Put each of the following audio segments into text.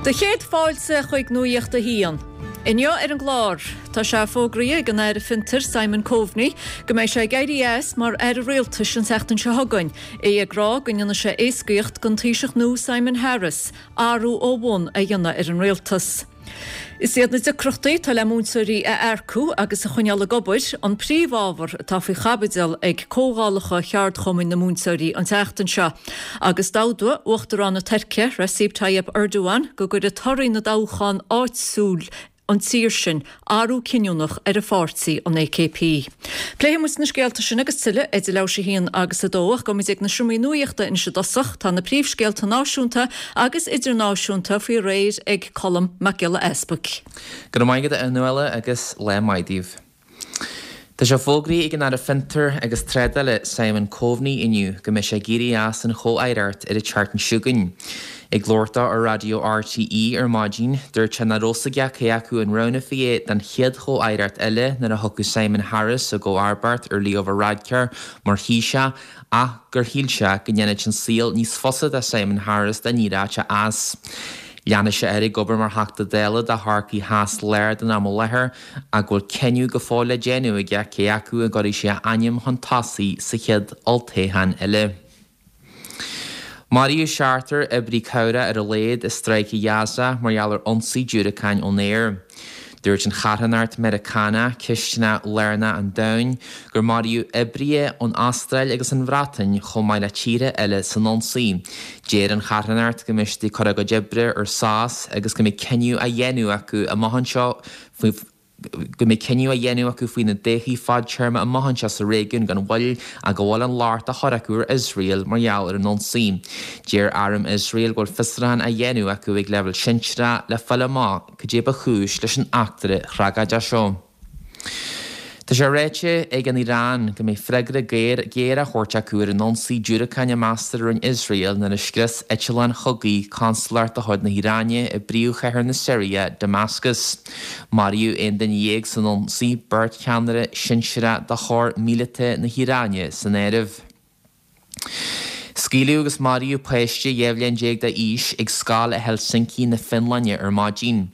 Do chéad fáilte chuig Nuacht a hAon. Inniu ar an gclár, tá sé fógraithe ag an Aire Fiontair Simon Coveney go mbeidh sé ag éirí as mar Aire Rialtais an tseachtain seo chugainn, é ag rá go ndéanfaidh sé éascaíocht don Taoiseach nua Simon Harris athrú ó bhun a dhéanamh ar an rialtas. Is iad na deacrachtaí atá le múinteoirí a earcú agus a choinneáil ag obair an príomhábhar atá faoi chaibidil ag comhdhálacha cheardchumainn na múinteoirí an tseachtain seo. Agus d'admhaigh Uachtarán na Tuirce, Recep Tayyip Erdogan, go gcuirfidh torthaí na dtoghchán áitiúil an tír sin athrú cinniúnach ar a pháirtí, an AKP. Pléifidh muid na scéalta sin agus tuilleadh idir leathuair théis a haon agus a dó ach gabhfaidh muid ag na seomraí nuachta anois i dtosach. Tá na príomhscéalta náisiúnta agus idirnáisiúnta faoi réir ag Colm Mac Giolla Easpaig. Go raibh maith agat a Fhionnuala agus lá maith daoibh. Tá sé fógraithe ag an Aire Fiontar agus Trádála Simon Coveney inniu go mbeidh sé ag éirí as an chomh-aireacht ar an tseachtain seo chugainn. Ag labhairt dó ar raidió RTÉ ar maidin, dúirt sé nach raibh fhios aige cé acu an roghnófaí é don chéad chomh-aireacht eile nuair a thiocfadh Simon Harris i gcomharbacht ar Leo Varadkar mar Thaoiseach ach gur shíl sé go ndéanfadh an saol níos fusa do Simon Harris dá n-éireodh sé as. Leanfaidh sé air ag obair mar Theachta Dála do Chorcaigh Theas Láir don am i láthair ach go bhfuil cinneadh go fóill le déanamh aige cé acu an gcuirfidh sé a ainm chun tosaigh sa chéad olltoghchán eile. Maraíodh seachtar oibrí cabhrach ar a laghad i Stráice Ghaza mar gheall ar ionsaí diúracáin ón aer. Dúirt an charthanacht Meiriceánach Cistineach Lárnach an Domhain gur maraíodh oibrithe ón Astráil agus an Bhreatain chomh maith le tíortha eile san ionsaí. Deir an charthanacht go mbeidh siad ag cur a gcuid oibre ar sos agus go mbeidh cinneadh á dhéanamh acu amach anseo faoi go mbeidh cinneadh á dhéanamh acu faoina dtodhchaí fadtéarma amach anseo sa réigiún gan mhoill ach go bhfuil an locht á chur acu ar Iosrael mar gheall ar an ionsaí. Deir arm Iosrael go bhfuil fiosrúchán á dhéanamh acu ag leibhéal sinsearach le fáil amach cad é ba chúis leis an eachtra thragóideach seo. Tá sé ráite ag an Iaráin go mbeidh freagra géar á thabhairt acu ar an ionsaí diúracáin a meastar a rinne Iosrael nuair a scrios eitleáin chogaidh consalacht de chuid na hIaráine i bpríomhchathair na Siria, Damascus. Maraíodh 11 duine san ionsaí, beirt cheannaire sinsearach de chór míleata na hIaráine san áireamh. Scaoileadh agus maraíodh páiste 12 bhliain d'aois ag scoil i Helsinki na Fionlainne ar maidin.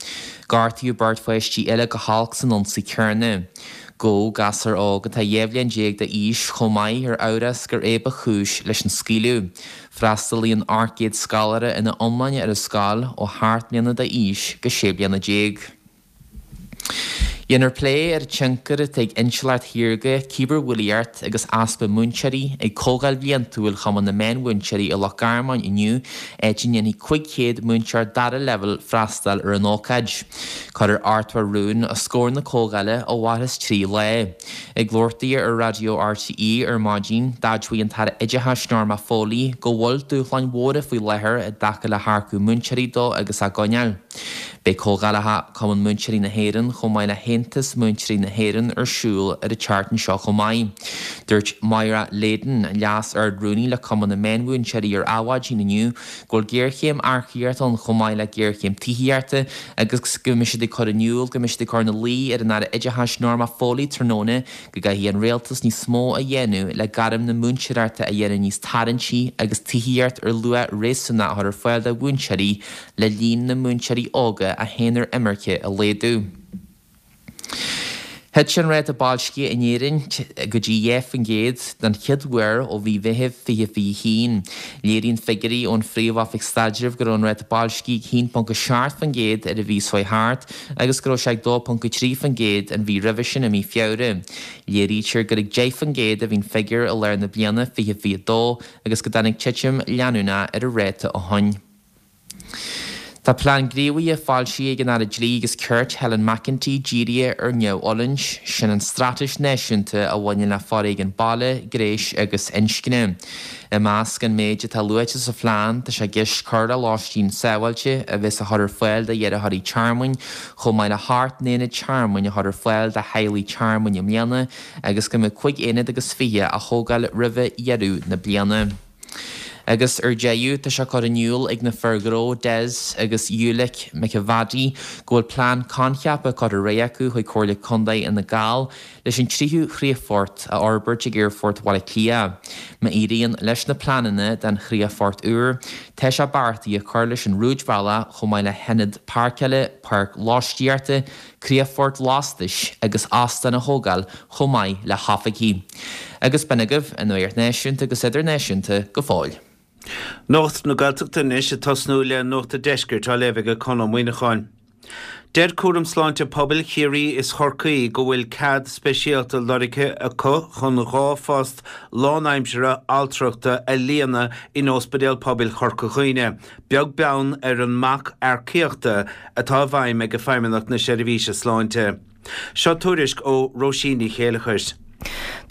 Gortaíodh beirt pháistí eile go holc san ionsaí céanna. Gabhadh gasúr óg atá 12 bhliain d'aois chomh maith ar amhras gur é ba chúis leis an scaoileadh. Freastalaíonn 800 scoláire ina iomláine ar an scoil ó sheacht mbliana d'aois go 16 bliana. Déanfar plé ar an tionchar atá ag intleacht shaorga, cibearbhulaíocht agus easpa múinteoirí ag Comhdháil Bhliantúil Chumann na Meánmhúinteoirí i Loch Garman inniu, áit a ndéanfaidh 500 múinteoir dara leibhéal freastal ar an ócáid. Cuirfear 80 rún os comhair na comhdhála a mhairfeas 3 lá. Ag labhairt di ar Raidió RTÉ ar maidin, d'admhaigh an tAire Oideachais Norma Foley go bhfuil dúshláin mhóra faoi láthair i dtaca le hearcú múinteoirí dó agus á gcoinneáil. Beidh comhdhálacha Cumann Múinteoirí na hÉireann chomh maith le hAontas Múinteoirí na hÉireann ar siúl ar an tseachtain seo chomh maith. Dúirt Moira Leyden, Leas-Ard-Rúnaí le Cumann na Meánmhúinteoirí ar Adhmhaidin inniu go bhfuil géarchéim earcaíochta ann chomh maith le géarchéim tithíochta agus go mbeidh siad ag cur in iúl go mbeidh siad ag cur ina luí ar an Aire Oideachais Norma Foley tráthnóna go gcaithfidh an Rialtas níos mó a dhéanamh le gairm na múinteoireachta a dhéanamh níos tarraingtí agus tithíocht ar luach réasúnach a chur ar fáil do mhúinteoirí le líon na múinteoirí óga a théann ar imirce a laghdú. Thit an ráta boilscithe in Éirinn go dtí 2% den chéad uair ó mhí Mheithimh 2021. Léiríonn figiúirí ón Phríomh-Oifig Staidrimh go raibh an ráta boilscithe ag 1.7% ar an mhí seo thart agus go raibh sé ag 2.3% an mhí roimhe sin i mí Feabhra. Léirítear gur ag 10% a bhí an figiúr i lár na bliana 2022 agus go dtáinig titim leanúnach ar an ráta ó shin. Tá plean gníomhaithe foilsithe ag an Aire Dlí agus Cirt Helen McEntee dírithe ar neamhfhulaingt, sin an straitéis náisiúnta a bhaineann le foréigean baile, gnéis agus inscne. I measc an méid atá luaite sa phlean tá sé i gceist cur le lóistín sábháilte a bheas á chur ar fáil d'iarrthóirí tearmainn chomh maith le hocht n-aonad tearmainn a chur ar fáil do theaghlaigh tearmainn i mbliana agus go mbeidh 25 aonad á thógáil roimhe dheireadh na bliana. Agus ar deireadh, tá sé curtha in iúl ag na fir ghnó Des agus Ulick McEvaddy go bhfuil plean coincheapa curtha ar aghaidh acu chuig Comhairle Contae Fhine Gall leis an tríú chríochfort a fhorbairt ag Aerfort Bhaile Átha Cliath. Má éiríonn leis na pleananna don chríochfort úr, tá sé beartaithe cur leis an rúidbhealach chomh maith le hionad páirceála, páirc lóistíochta, críochfort lastais agus óstán a thógáil chomh maith le hoifigí. Agus b'in agaibh an nuacht náisiúnta agus idirnáisiúnta go fóill. Nuacht na Gaeltachta anois ag tosnú le Nuacht a' Deiscirt á léamh ag Conn Ó Muíneacháin. Deir Cúram Sláinte Pobail Chiarraí is Chorcaí go bhfuil cead speisialta lorgtha acu chun 2 phost lánaimseartha altrachta a líonadh in Ospidéal Pobail Chorca Dhuibhne, beag beann ar an mbac earcaíochta atá i bhfeidhm ag Feidhmeannacht na Seirbhíse Sláinte. Seo tuairisc ó Róisín Ní Chéileachair.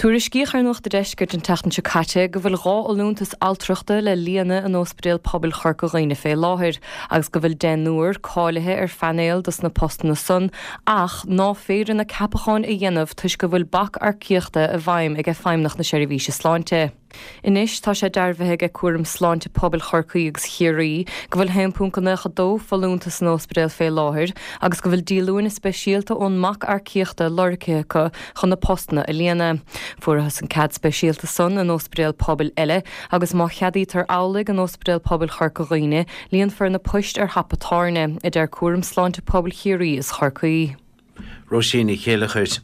Tuairiscíodh ar Nuacht a' Deiscirt an tseachtain seo caite go bhfuil 2 fholúntas altrachta le líonadh in Óspidéal Pobail Chorca Dhuibhne fé láthair agus go bhfuil deichniúr cáilithe ar phainéal dos na postanna san ach ná féidir na ceapacháin a dhéanamh toisc go bhfuil bac earcaíochta i bhfeidhm ag Feidhmeannacht na Seirbhíse Sláinte. Anois tá sé dearbhaithe ag Cúram Sláinte Pobail Chorcaí agus Chiarraí go bhfuil 1.92 folúntas san óspidéal fé láthair agus go bhfuil díolúine speisialta ón mbac earcaíochta lorgtha acu chun na postanna a líonadh. Fuarathas an cead speisialta san in óspidéal pobail eile agus má cheadaítear amhlaidh in Óspidéal Pobail Chorca Dhuibhne líonfar na poist ar thapa tairne, a deir Cúram Sláinte Pobail Chiarraí is Chorcaí. Róisín Ní Chéileachair.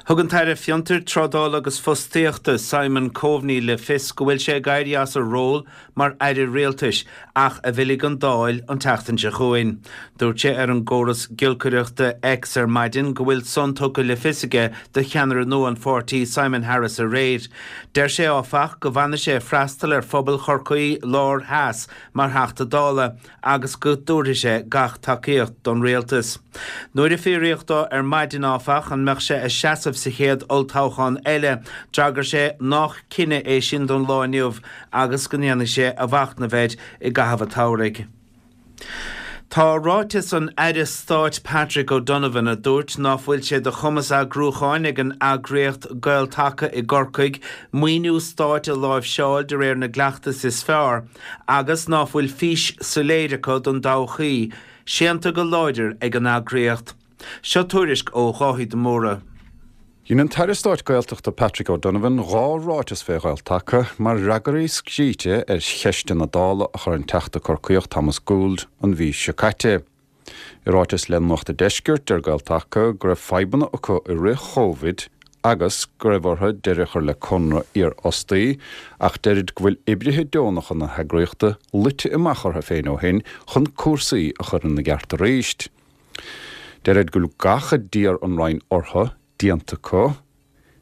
Thug an tAire Fiontair, Trádála agus Fostaíochta, Simon Coveney le fios go bhfuil sé ag éirí as a ról mar Aire Rialtais ach a bhfillfidh an Dáil an tseachtain seo chugainn. Dúirt sé ar an gcóras giolcaireachta X ar maidin go bhfuil san tugtha le fios aige do cheannaire nua an pháirtí Simon Harris aréir. Deir sé áfach go bhfanfaidh sé ag freastal ar phobal Chorcaí Láir Theas mar Theachta Dála agus go dtabharfaidh sé gach tacaíocht don rialtas. Nuair a fiafraíodh dó ar maidin, áfach, an mbeadh sé ag seasamh sa chéad olltoghchán eile, d'fhreagair sé nách cinneadh é sin don lá inniu agus go ndéanfaidh sé a mhachnamh air i gcaitheamh an tsamhraidh. Tá ráiteas an Aire Stáit Patrick O'Donovan, a dúirt ná fuil sé de chumas eagrúcháin ag an eagraíocht Gael-Taca i gCorcaigh maoiniú stáit a láimhseáil de réir na gcleachtas is fearr, agus ná fuil fís soiléir acu don dtodhchaí, séanta go láidir ag an eagraíocht. Seo tuairisc ó Dháithí de Mórdha. Dhein an tAire Stáit Gaeltachta Patrick O'Donovan 2 ráiteas fé Ghael-Taca mar fhreagraí scríte ar cheisteanna Dála a chuir an Teachta Corcaíoch Thomas Gould an mhí seo caite. I ráiteas le Nuacht a' Deiscirt, deir Gael-Taca go raibh fadhbanna acu i rith Chóivid agus go raibh orthu deireadh a chur le conradh iarfhostaí ach deirid go bhfuil oibrithe deonacha na heagraíochta luite amach orthu féin ó shin chun cúrsaí a chur ina gceart arís. Deirid go bhfuil gach a d'iarr an Roinn orthu déanta acu.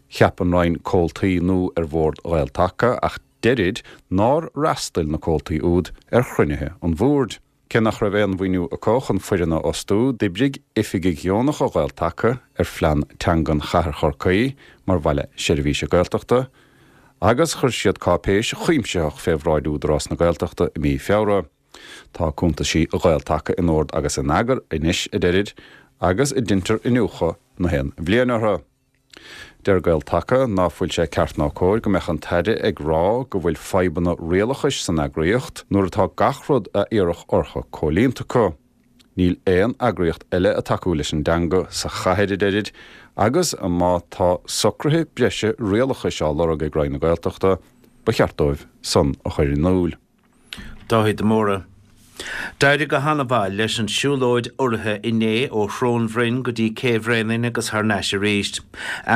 Cheap an Roinn comhaltaí nua ar bhord Ghael-Taca ach deirid nár fhreastail na comhaltaí úd ar chruinnithe an bhoird. Cé nach raibh aon mhaoiniú acu chun foireann a fhostú, d'oibrigh oifigigh dheonacha Ghael-Taca ar phlean teangan Chathair Chorcaí mar bhaile seirbhíse Gaeltachta agus chuir siad cáipéis chuimsitheach fé bhráid Údarás na Gaeltachta i mí Feabhra. Tá cuntaisí Ghael-Taca in ord agus in eagar anois, a deirid, agus deintear iniúchadh na haon bhliain orthu. Deir Gael-Taca ná fuil sé ceart ná cóir go mbeadh an tAire ag rá go bhfuil fadhbanna rialachais san eagraíocht nuair atá gach rud a iarradh orthu comhlíonta acu. Níl aon eagraíocht eile ag tacú leis an dteanga sa chathair, a deirid, agus má tá socruithe breise rialachais á lorg ag Roinn na Gaeltachta, ba cheart dóibh san a chur in iúil. Dáithí de Mórdha. D'éirigh go han-mhaith leis an siúlóid urraithe inné ó Shrón Bhroin go dtí Cé Bhréanainn agus thar n-ais arís.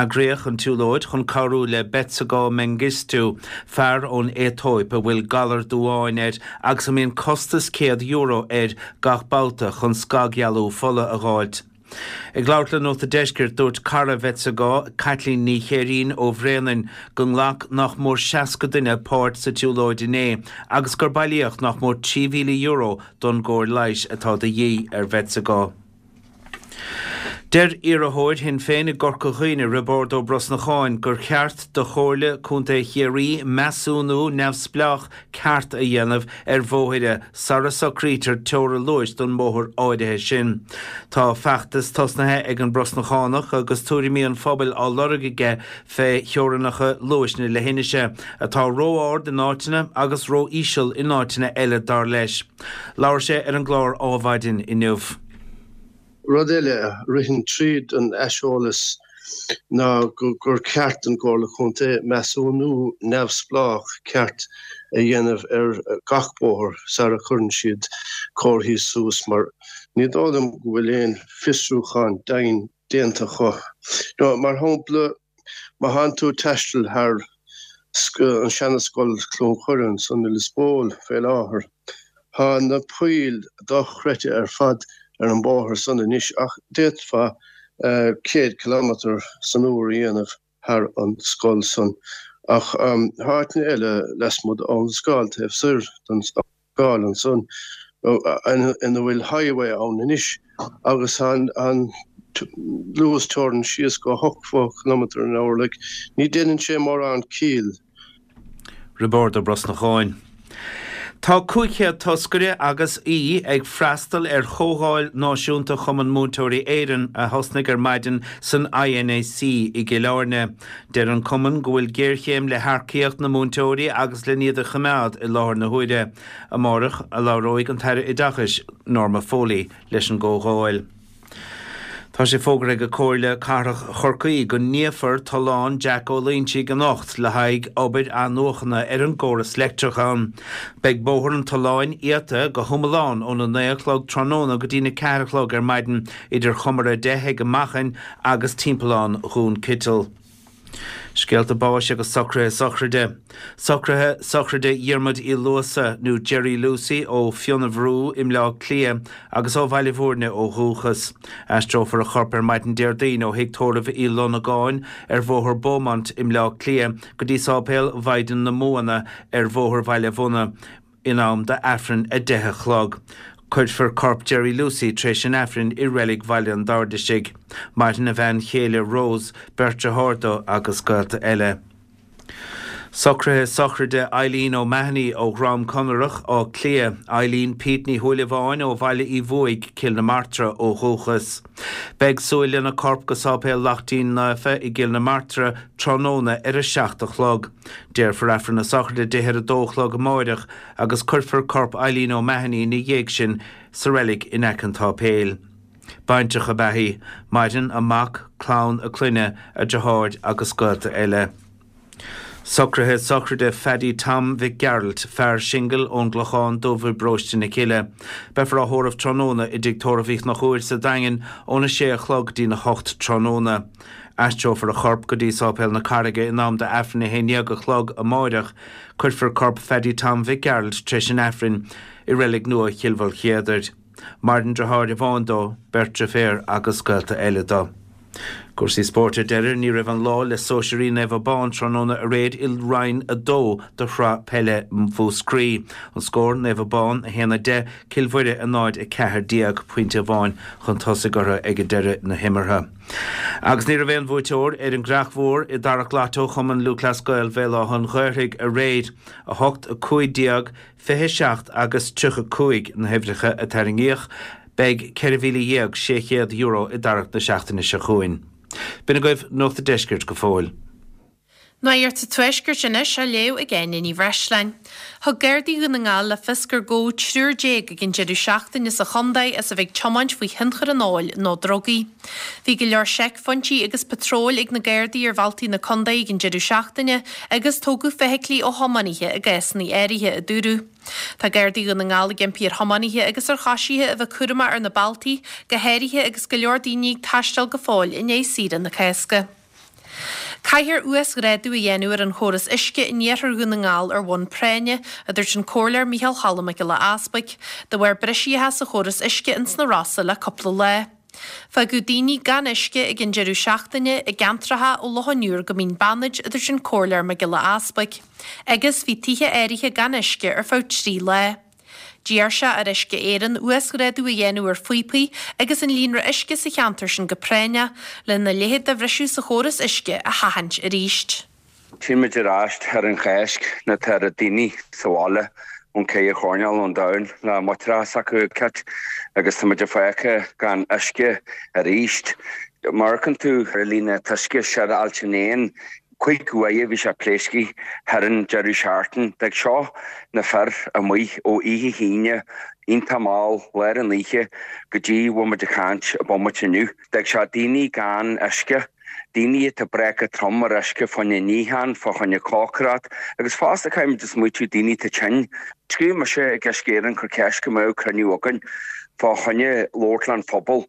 Eagraíodh an tsiúlóid chun cabhrú le Betsagew Mengistu, fear ón Aetóip a bhfuil galar duáin air agus a mbíonn costas €100 air gach babhta chun scagdhealú fola a dh'fháilt. Ag labhairt le Nuacht a' Deiscirt, dúirt cara Bhetsagew, Caitlín Ní Chéirín ó Bhréanainn, go nglac nach mór 60 duine páirt sa tsiúlóid inné agus gur bailíodh nach mór €3,000 don gcóir leighis atá de dhíth ar Bhetsagew. Deir iarrthóir Shinn Féin i gCorca Dhuibhne, Roibeárd Ó Brosnacháin, gur cheart do Chomhairle Contae Chiarraí measúnú neamhspleách ceart a dhéanamh ar bhóithre sara socraítear teora luais don mbóthar áirithe sin. Tá feachtas tosnaithe ag an mBrosnachánach agus tuairimí an phobail á lorg aige fé theorainneacha luais na leithinise, atá ró-ard in áiteanna agus ró-íseal in áiteanna eile dar leis. Labhair sé ar an gclár Ádhmhaidin inniu. Rud eile a ritheann tríd an aiseolas ná gur ceart don gComhairle Contae measúnú neamhspleách ceart a dhéanamh ar gach bóthar sara chuireann siad comharthaí suas mar ní dóigh liom go bhfuil aon fiosrúchán deimhin déanta acu. Mar shampla, Má thánn tú ag taisteal thar an seana-scoil Cluain Choire ansan i Lios Póil fé láthair, thá na poill dochreidte ar fad ar an bóthar san anois ach d'fhéadfá 100 kilometre san uair a dhéanamh thar an scoil san. Ach thá áiteanna eile lasmuigh d'Abhainn an Scáil taobh soir den Scáil ansan ina bhfuil highway ann anois agus tá an luas teorann síos go 80 kilometre an hour like ní déanann sé mórán ciall. Roibeárd Ó Brosnacháin. Tá 500 toscaire agus aoi ag freastal ar Chomhdháil Náisiúnta Chumann Múinteoirí Éireann a thosnaigh ar maidin san INAC i gCill Airne. Deir an Cumann go bhfuil géarchéim le hearcaíocht na múinteoirí agus len iad a choimeád i láthair na huaire. Amárach a labhróidh an tAire Oideachais, Norma Foley, leis an gcomhdháil. Tá sé fógartha ag Comhairle Cathrach Chorcaí go n-iafar Tollán Jack Ó Loingsigh anocht le haghaidh obair athnuachana ar an gcóras leictreach ann. Beidh bóthar an tolláin iata go hiomlán óna 9 a chlog tráthnóna go dtína 4 a chlog ar maidin idir Chomair 10 ag an Machain agus Timpeallán Dhún Citil. Scéalta báis agus socruithe sochraide. Socruithe sochraide Dhiarmuid Uí Luasa, nó Jerry Lucey, ó Fionnabhrú i mBleá Cliath agus ó Bhaile Bhúirne ó dhúchas. Aistreofar a chorp ar maidin Déardaoin ó Thigh Tórraimh Uí Lonagáin ar Bhóthar Beaumont i mBleá Cliath go dtí Sáipéal Mhaighdean na Mumhan ar Bhóthar Bhaile Bhunna, in am d'Aifreann 10 a chlog. Cuirfear corp Jerry Lucey tar éis an Aifrinn i Reilig Bhaile an Dairdeisigh. Maireann a bhean chéile Rose, beirt dearthár dó agus gaolta eile. Socruithe sochraide Eileen O'Mahony ó Dhrom Conaireach, Áth Cliath. Eileen Pete Ní Shúilleabháin ó Bhaile Uí Bhuaigh, Cill na Martra ó dhúchas. Beidh súil lena corp go Sáipéal Lachtaín Naofa i gCill na Martra tráthnóna ar a 7 a chlog. Déarfar Aifreann na sochraide di ar a dó a chlog amáireach agus cuirfear corp Eileen O'Mahony ina dhiaidh sin sa reilig in aice an tsáipéil. Baintreach ab ea í. Maireann a mac, clann a clainne, a deartháir agus gaolta eile. Socruithe sochraide Phaddy Tom Mhic Gearailt, fear singil ón gClochán Dubh i bparóiste na Cille. Beifear á thórramh tráthnóna i dTigh Tórraimh Uí Chonchúir sa Daingean óna sé a chlog dtína hocht tráthnóna. Aistreofar a chorp go dtí Sáipéal na Carraige in am d'Aifreann 11 a chlog amáireach. Cuirfear corp Phaddy Tom Mhic Gearailt tar éis an Aifrinn i reilig nua Chill Mhaoilchéadair. Maireann deartháir amháin dó, beirt deirféar agus gaolta eile dó. Cúrsaí spóirt ar deireadh, ní raibh an lá le Sóisearaí Naomh Abán tráthnóna aréir i Roinn 2 de Shraith Peile Mhúscraí. An scór, Naomh Abán 1, 10, Cill Mhuire 0, 14, pointe amháin chun tosaigh orthu ag deireadh na himeartha. Agus ní raibh aon bhuaiteoir ar an gCreach Mhór i dTarrac Lotto Chumann Lúthchleas Gael Bhéal Átha an Ghaorthaidh aréir. 8, 15, 27 agus 35 na huimhreacha a tarraingíodh. Beidh €14,600 i dtarrac na seachtaine seo chugainn. B'in agaibh Nuacht an Deiscirt go fóill. Nuacht an Tuaiscirt anois á léamh ag Áine Ní Bhreisleáin. Thug Gardaí Dhún na nGall le fios gur gabhadh triúr ag an deireadh seachtaine sa chontae as a bheith ag tiomáint faoi thionchar an óil nó drugaí. Bhí go leor seicphointí agus patróil ag na Gardaí ar bhealtaí na contae ag an deireadh seachtaine agus tógadh feithiclí ó thiománaithe i gcásanna áirithe, a dúradh. Tá Gardaí Dhún na nGall ag impí ar thiománaithe agus ar choisithe a bheith cúramach ar na bealtaí, go háirithe agus go leor daoine ag taisteal go fóill i ndiaidh saoire na Cásca. Caithfear uasghrádú a dhéanamh ar an chóras uisce in iarthar Dhún na nGall ar bhonn práinne, a dúirt an Comhairleoir Micheál Cholm Mac Giolla Easbuig, de bharr briseacha sa chóras uisce ins na Rosa le cúpla lá. Fágadh daoine gan uisce ag an deireadh seachtaine i gceantracha ó Loch an Iúir go Mín Bannaid, a dúirt an Comhairleoir Mac Giolla Easbuig. Agus bhí tithe áirithe gan uisce ar feadh 3 lá. D'iarr sé ar Uisce Éireann uasghrádú a dhéanamh ar phíopaí agus an líonra uisce sa cheantar sin go práinneach, lena leithéid de bhriseadh sa chóras uisce a sheachaint arís. Tchíonn muid ar ais ar an Cháisc nuair atá na daoine sa bhaile ón ceithre choirnéal ón domhan le máithreacha s'acu ag cit agus tá muid fágtha gan uisce arís. Má amharcann tú ar an líne t-uisce siar Ailt an Éin, 5 uaire bhí sé pléasctha thar an deireadh seachtain. D'fhág seo na fir amuigh ó oíche hAoine iontach mall lár an oíche go dtí bhfuil muid ag caint i bomaite inniu. D'fhág sé daoine gan uisce, daoine atá breactha trom ar uisce fá choinne níochán, fá choinne cócaireacht agus fosta caithfidh muid a smaoitiú daoine atá tinn. Scríobh mise ag Uisce Éireann cur ceist go mbeadh cruinniú againn fá choinne labhairt leis an phobal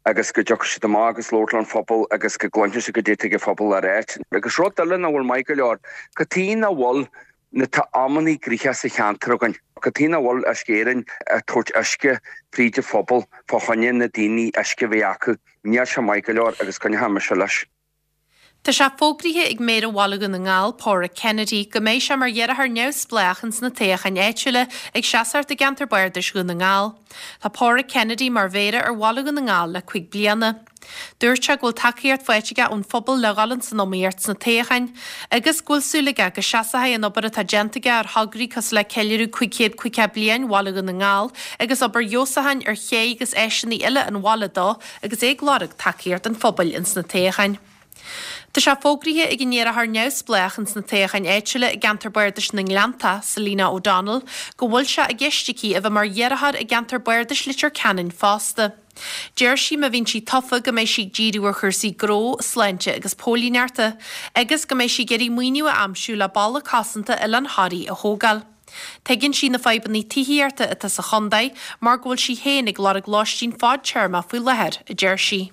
agus go dtiocfaidh siad amach agus labhairt leis an phobal agus go gcluinfidh siad goidé atá ag an phobal le ráit. Agus rud eile nach bhfuil maith go leor, cad chuige nach bhfuil na tá amannaí gnoitheach sa cheantar againn, cad chuige nach bhfuil Uisce Éireann ag tabhairt uisce fríd an phobal fá choinne na daoine uisce a bheith acu. Níl sé maith go leor agus coinneoidh mise leis. Tá sé fógraithe ag Méara Bhaile Dhún na nGall, Pádraig Kennedy, go mbeidh sé mar iarrthóir neamhspleách ins na toghcháin áitiúla ag seasacht i gceantar Bardais Dhún na nGall. Tá Pádraig Kennedy mar Mhéara ar Bhaile Dhún na nGall le 5 bliana. Dúirt sé go bhfuil tacaíocht faighte aige ón phobal le dhul ins an iomaíocht sna toghcháin agus go bhfuil súil aige go seasfaidh an obair atá déanta aige ar thograí cosúil le ceiliúradh 550 bliain Bhaile Dhún na nGall agus obair fheabhsúcháin ar ché agus áiseanna eile an bhaile dó agus é ag lorg tacaíocht an phobail ins na toghcháin. Tá sé fógraithe ag an iarrthóir neamhspleách ins na toghcháin áitiúla i gceantar Bardais na nGleanntach, Selina O'Donnell, go bhfuil sé i gceist aici a bheith mar iarrthóir i gceantar Bardais Leitir Ceanainn fosta. Deir sí má bhíonn sí tofa go mbeidh sí ag díriú ar chúrsaí gnó, sláinte agus póilíneachta, agus go mbeidh sí ag iarraidh maoiniú a aimsiú le balla cosanta Oileán Thoraí a thógáil. Tuigeann sí na fadhbanna tithíochta atá sa chontae mar go bhfuil sí féin ag lorg lóistín fadtéarmach faoi láthair, a deir sí.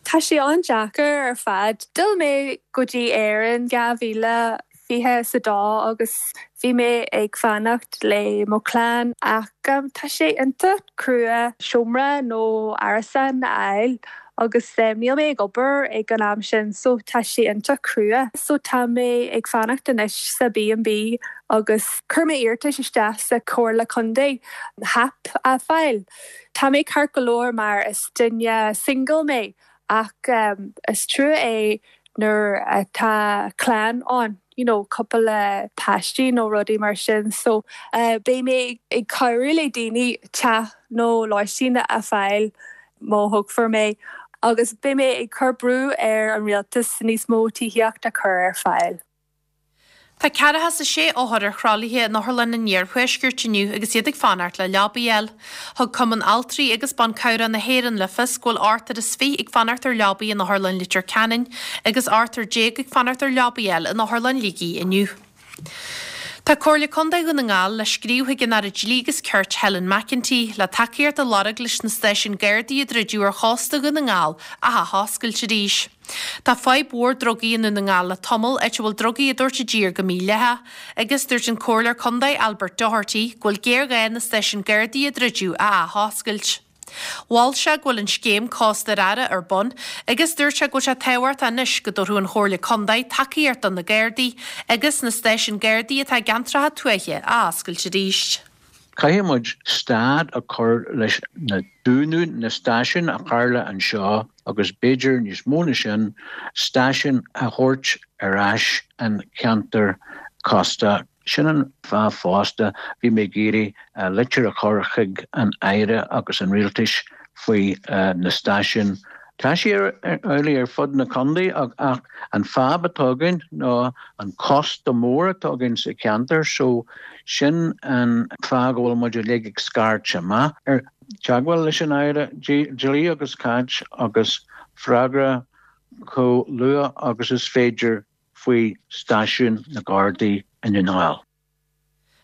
Tá sé an-deacair ar fad. D'fhill mé go dtí Éirinn 2022 agus bhí mé ag fanacht le mo chlann ach tá sé iontach crua seomra nó árasán a fháil agus níl mé ag obair ag an am sin so tá sé iontach crua. So tá mé ag fanacht anois sa B&B agus chuir mé iarratas isteach sa Chomhairle Contae HAP a fáil. Tá mé ceart go leor mar is duine single mé ach is trua é nuair atá clann ann, you know cúpla páistí nó rudaí mar sin so beidh mé ag cabhrú le daoine teach nó lóistín a fáil má thoghfar mé agus beidh mé ag cur brú ar an rialtas níos mó tithíocht a chur ar fáil. Tá ceathracha is a sé othar ar thralaithe in Otharlann an Iarthuaiscirt inniu agus iad ag fanacht le leabaí a fháil. Thug Cumann Altraí agus Ban Cabhrach na hÉireann le fios go bhfuil ochtar is fiche ag fanacht ar leabaí in Otharlann Leitir Ceanainn agus ochtar déag ag fanacht ar leabaí a fháil in Otharlann Shligigh inniu. Tá Comhairle Contae Dhún na nGall le scríobh chuig an Aire Dlí agus Cirt Helen McEntee le tacaíocht a lorg leis na stáisiúin Gardaí a druideadh ar chósta Dhún na nGall a athoscailt arís. Tá fadhb mhór drugaí i nDún na nGall le tamall, áit a bhfuil drugaí á dtabhairt i dtír go mídhleathach, agus dúirt an Comhairleoir Contae Albert Doherty go bhfuil géarghá na stáisiúin Gardaí a druideadh a athoscailt. Mhol sé go bhfuil an scéim Cósta Reatha ar bun agus dúirt sé go bhfuil sé tábhachtach anois go dtabharfadh an Chomhairle Contae tacaíocht do na Gardaí agus na stáisiúin Gardaí atá i gceantracha tuaithe a oscailt arís. Caithfidh muid stad a chur leis na dúnadh na stáisiún a tharla anseo agus b'fhéidir níos mó na sin, stáisiún a thabhairt ar ais an cheantar cósta. Sin an fáth fosta bhí mé ag iarraidh litir a chur chuig an Aire agus an Rialtais faoi na stáisiúin. Tá sé amhlaidh ar fud na contae ach an fadhb atá againn ná an cósta mór atá againn sa cheantar so sin an fáth go bhfuil muid uilig ag scairt amach ar teagmháil leis an Aire Dlí agus Cirt agus freagra chomh luath agus is féidir faoi stáisiún na Gardaí i nDún na nGall.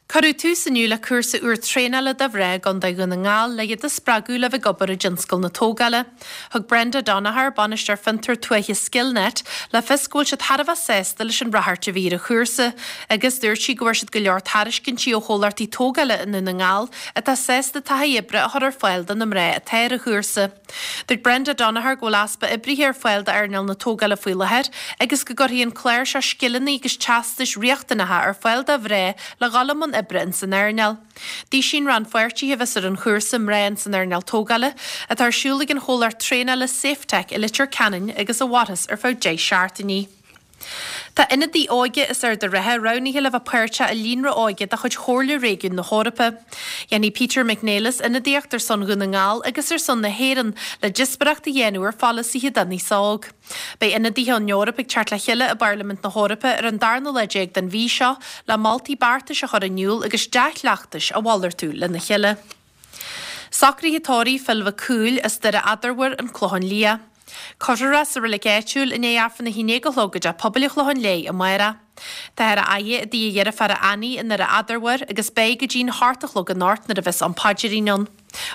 Cuireadh tús inniu le cúrsa úr traenála do mhná i gContae Dhún na nGall le iad a spreagadh le bheith ag obair i dtionscal na tógála. Thug Brenda Donaher, Bainisteoir Fiontar Tuaithe Skillnet, le fios go bhfuil siad thar a bheith sásta leis an ráchairt a bhí ar an chúrsa agus dúirt sí go bhfuair siad go leor tairiscintí ó chomhlachtaí tógála i nDún na nGall atá sásta taithí oibre a chur ar fáil do na mná atá ar an chúrsa. Dúirt Brenda Donaher go bhfuil easpa oibrithe ar fáil d'earnáil na tógála faoi láthair agus go gcuirfidh an clár seo scileanna agus teastais riachtanacha ar fáil do mhná le dhul i mbun oibre. oibre ins an earnáil. Dísíonn rannpháirtithe a bheas ar an chúrsa Mná ins an Earnáil Tógála, atá ar siúl ag an chomhlacht traenála Safetec i Leitir Ceanainn agus a mhairfeas ar feadh 10 seachtainí. Tá ionadaí óige as Ard an Rátha roghnaithe le bheith páirteach i líonra óige de chuid Chomhairle Réigiún na hEorpa. Dhéanfaidh Peter McNelis ionadaíocht ar son Dhún na nGall agus ar son na hÉireann le díospóireacht a dhéanamh ar pholasaithe don aos óg. Beidh ionadaithe ón Eoraip ag teacht le chéile i bParlaimint na hEorpa ar an darna lá déag den mhí seo le moltaí beartais a chur in iúl agus dea-chleachtais a mhalartú lena chéile. Socruithe tórraimh Phil Mhic Cumhaill as Doire Eadarmhair, An Clochán Liath. Cuirfear é sa reilig áitiúil i ndiaidh Aifreann a haon déag a chlog i dTeach Pobail an Chlocháin Léith amárach. Táthar á fhaire i dtigh a dheirféara Annie i nDoire Eadarmhair agus beidh go dtí'n hocht a chlog anocht nuair a bheas an paidrín ann.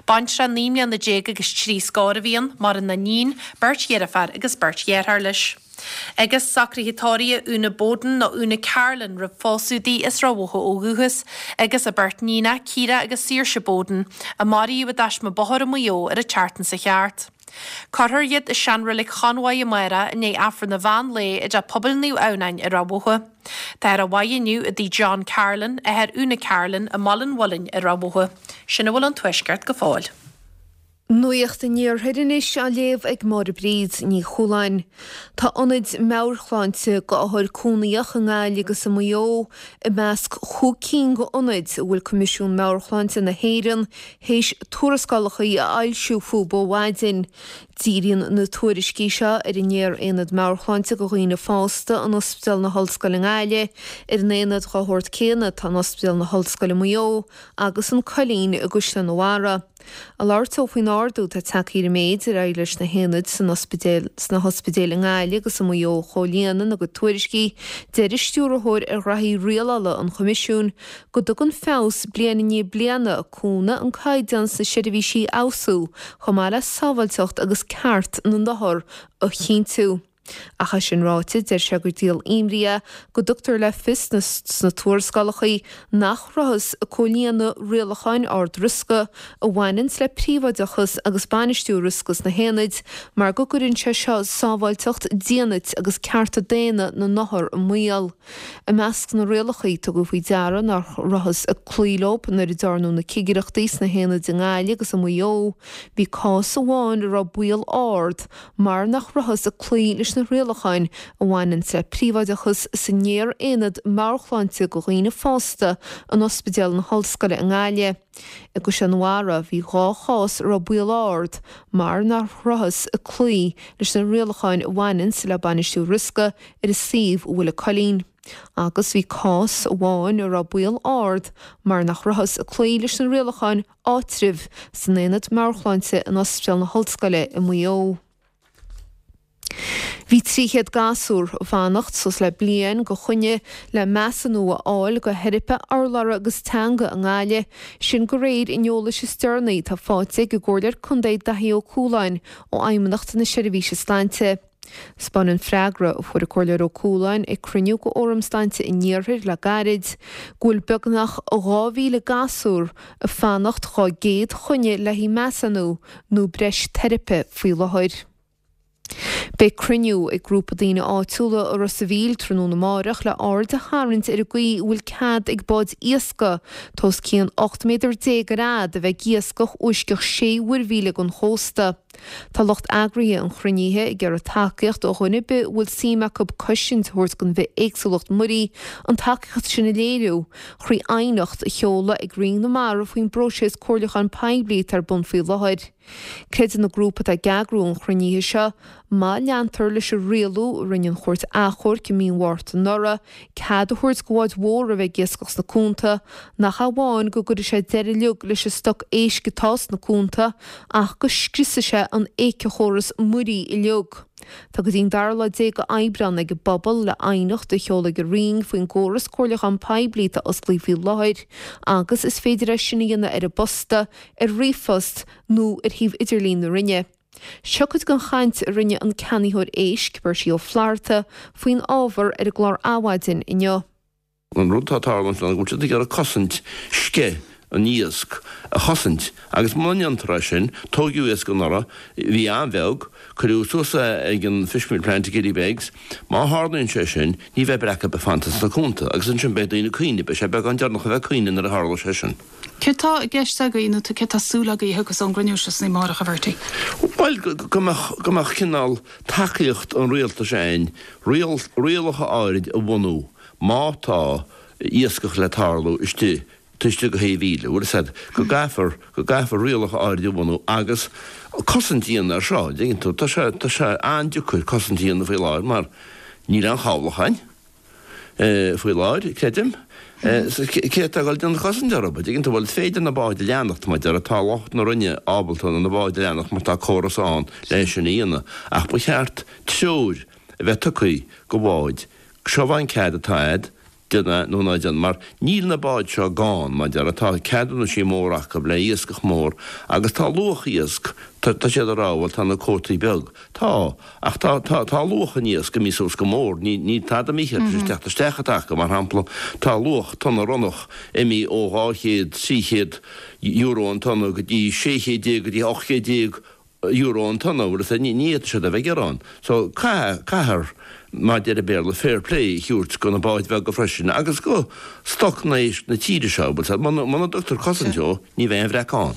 Baintreach 19 mbliana agus trí scór a bhí ann, maireann iníon, beirt dheirféar agus beirt dheartháir leis. Agus socruithe tórraimh Úna Bowden nó Úna Carlin roimh phósadh di as Ráth Bhoth ó dhúchas, agus a beirt níonach, Ciara agus Saoirse Bowden, a maraíodh i dtaisme bóthair i Maigh Eo ar an tseachtain seo thart. Cuirfear iad i seanreilig Chonmhaigh amárach i ndiaidh Aifreann an mheán lae i dTeach Pobail Naomh Adhamhnáin i Ráth Bhoth. Táthar á fhaire inniu i dtigh John Carlin, athair Úna Carlin, i mBaile an Mhuilinn i Ráth Bhoth. Sin a bhfuil ón Tuaisceart go fóill. Nuacht an Iarthair anois á léamh ag Máire Bríd Ní Chualáin. Tá ionaid meabhairshláinte d'othair cónaíoch i nGaillimh agus i Maigh Eo i measc chúig cinn d'ionaid a bhfuil Coimisiún Meabhair-Shláinte na hÉireann théis tuarascálacha a fhoilsiú fúthu ó mhaidin. Díríonn na tuairiscí seo ar an nGéar-Aonad Meabhairshláinte do Dhaoine Fásta in Ospidéal na hOllscoile i nGaillimh, ar an aonad dá shórt céanna atá in Ospidéal na hOllscoile Maigh Eo agus an Coillín i gCaisleán an Bharraigh. Ag labhairt dó faoin ardú atá tagtha ar an méid ar éirigh leis na haonaid san ospidéal sna hospidéil i nGaillimh agus i Maigh Eo a chomhlíonadh ina gcuid tuairiscí, deir an Stiúrthóir ar Ghraithí Rialála an Choimisiúin go dtugann feabhas bliain i ndiaidh bliana cúnamh an caighdeán sna seirbhísí a fheabhsú chomh maith le sábháilteacht agus ceart na n-othar a chinntiú. Ach é sin ráite, deir sé gur díol imní é go dtugtar le fios sna tuarascálacha nach rabhthas ag comhlíonadh rialacháin ard-riosca a bhaineanns le príobháideachas agus bainistiú riosca sna haonaid mar go gcuireann sé seo sábháilteacht, dínit agus cearta daonna na n-othar i mbaol. I measc na rialacha, tugadh faoi deara nach rabhthas ag cloí leo nuair a dearnadh na cigireachtaí sna haonaid i nGaillimh agus i Maigh Eo. Bhí cás amháin a raibh baol ard mar nach rabhthas ag cloí leis na rialacháin a bhaineanns le príobháideachas sa nGéar-Aonad Meabhairshláinte do Dhaoine Fásta in Ospidéal na hOllscoile i nGaillimh. I gCaisleán an Bharraigh, bhí 2 chás a raibh baol ard mar nach rabhthas ag cloí leis na rialacháin a bhaineanns le bainistiú riosca ar an suíomh a bhfuil an Coillín. Agus bhí cás amháin a raibh baol ard mar nach rabhthas ag cloí leis na rialacháin áitribh san Aonad Meabhairshláinte in Ospidéal na hOllscoile i Maigh Eo. Bhí 300 gasúr ag fanacht suas le bliain go choinne le measúnú a fháil go theiripe urlabhra agus teanga i nGaillimh, sin de réir an eolais is deireanaí atá faighte ag an gComhairleoir Contae Daithí Ó Cualáin ó Fheidhmeannacht na Seirbhíse Sláinte. 'Spáineann freagra a fuair an Comhairleoir Ó Cualáin ag cruinniú de Fhóram Sláinte an Iarthair le gairid go bhfuil beagnach 2,000 gasúr ag fanacht dhá gcéad choinne le haghaidh measúnú nó breis teiripe faoi láthair. Beidh cruinniú ag grúpa daoine áitiúla i Ros a' Mhíl tráthnóna amáireach le aird a tharraingt ar an gcaoi a bhfuil cead ag báid iascaigh atá os cionn 18 méadar ar fhad a bheith ag iascach uisceach sé mhuirmhíle den chósta. Tá lucht eagraithe an chruinnithe ag iarraidh tacaíocht ó dhuine ar bith a bhfuil suim acu cosaint a thabhairt don bhithéagsúlacht muirí, an tacaíocht sin a léiriú thrí aighneacht a sheoladh ag Roinn na Mara faoin bpróiseas comhairliúcháin poiblí atá ar bun faoi láthair. Creideann an grúpa atá ag eagrú an chruinnithe seo, má leantar leis an rialú a rinne an Chúirt Achomhairc i mí an Mhárta anuraidh, cead a thabhairt do bháid mhóra a bheith ag iascach sna cuanta, nach amháin go gcuirfidh sé deireadh uilig leis an stoc éisc atá sna cuanta, ach go scriosfaidh sé an éiceachóras muirí uilig. Tá go dtí'n dara lá déag de Aibreán ag an bpobal le aighneacht a sheoladh ag an Roinn faoin gcóras comhairliúcháin poiblí atá osclaithe faoi láthair agus is féidir é sin a dhéanamh ar an bposta, ar ríomhphost nó ar shuíomh idirlín na Roinne. Seo cuid den chaint a rinne an ceannaitheoir éisc, Bertie Ó Flatharta, faoin ábhar ar an gclár Adhmhaidin inniu. An rud atá ag tarlúint ná go bhfuil siad ag iarraidh cosaint sceith. an iasc a chosaint agus muna ndéantar é sin, tóigeadh iasc anuraidh, bhí an-bheag, cuireadh suas é ag an fishmeal plant i Killybegs, má tharlaíonn sé sin, ní bheidh breac ar bith fanta sna cuanta agus ansin beidh daoine ag caoineadh, beidh sé beagán deireanach a bheith ag caoineadh nuair a tharlóidh sé sin. Céard tá i gceist agaibh nó céard tá súil agaibh a thiocfas ón gcruinniú seo san amárach, a Bhertie? Bhuel, go mbeadh, go mbeadh cineál tacaíocht an rialtais ann, rialacha áirid a bhunú má tá iascach le tarlú istigh taobh istigh de shé mhíle, bhfuil fhios a'd, go gcaithfear, go gcaithfear rialacha áirid a bhunú agus cosaint a dhéanamh air seo, an dtuigeann tú. Tá sé, tá sé an-deacair cosaint a dhéanamh faoi láthair mar níl aon chabhlach a'inn faoi láthair, creidim. So cé atá ag dul déanamh cosaint orthu, an dtuigeann tú, bhuel is féidir na báid a leanacht, mar deir, tá lucht na Roinne ábalta na báid a leanacht mar tá córas ann le sin a dhéanamh ach ba cheart treoir a bheith tugtha go bháid, seo an cead atá a'd, déan é nó ná déan, mar níl na báid seo gann, mar deir, tá ceadúnaisí móra acu le iascach mór agus tá luach iasc, tá, tá siad ag rá, bhuel tá na cuótaí beag, tá, ach tá, tá, tá luach an iasc imithe suas go mór, ní, níl tada imithe tar éis teacht isteach atá acu, mar shampla, tá luach tonna ronnach imithe ó 200, 300 euro an tonna go dtí 1600 go dtí 1800 euro an tonna, bhfuil fhios a'd, ní fhéadfaidh siad a bheith ag gearán. So, caithfidh, caithfear, mar deir an Béarla, fair play a thabhairt go na báid bheaga freisin agus go stoc na éisc na tíre seo, bhfuil fhios a'd, muna, muna dtugtar cosaint dó, ní bheidh aon bhreac ann.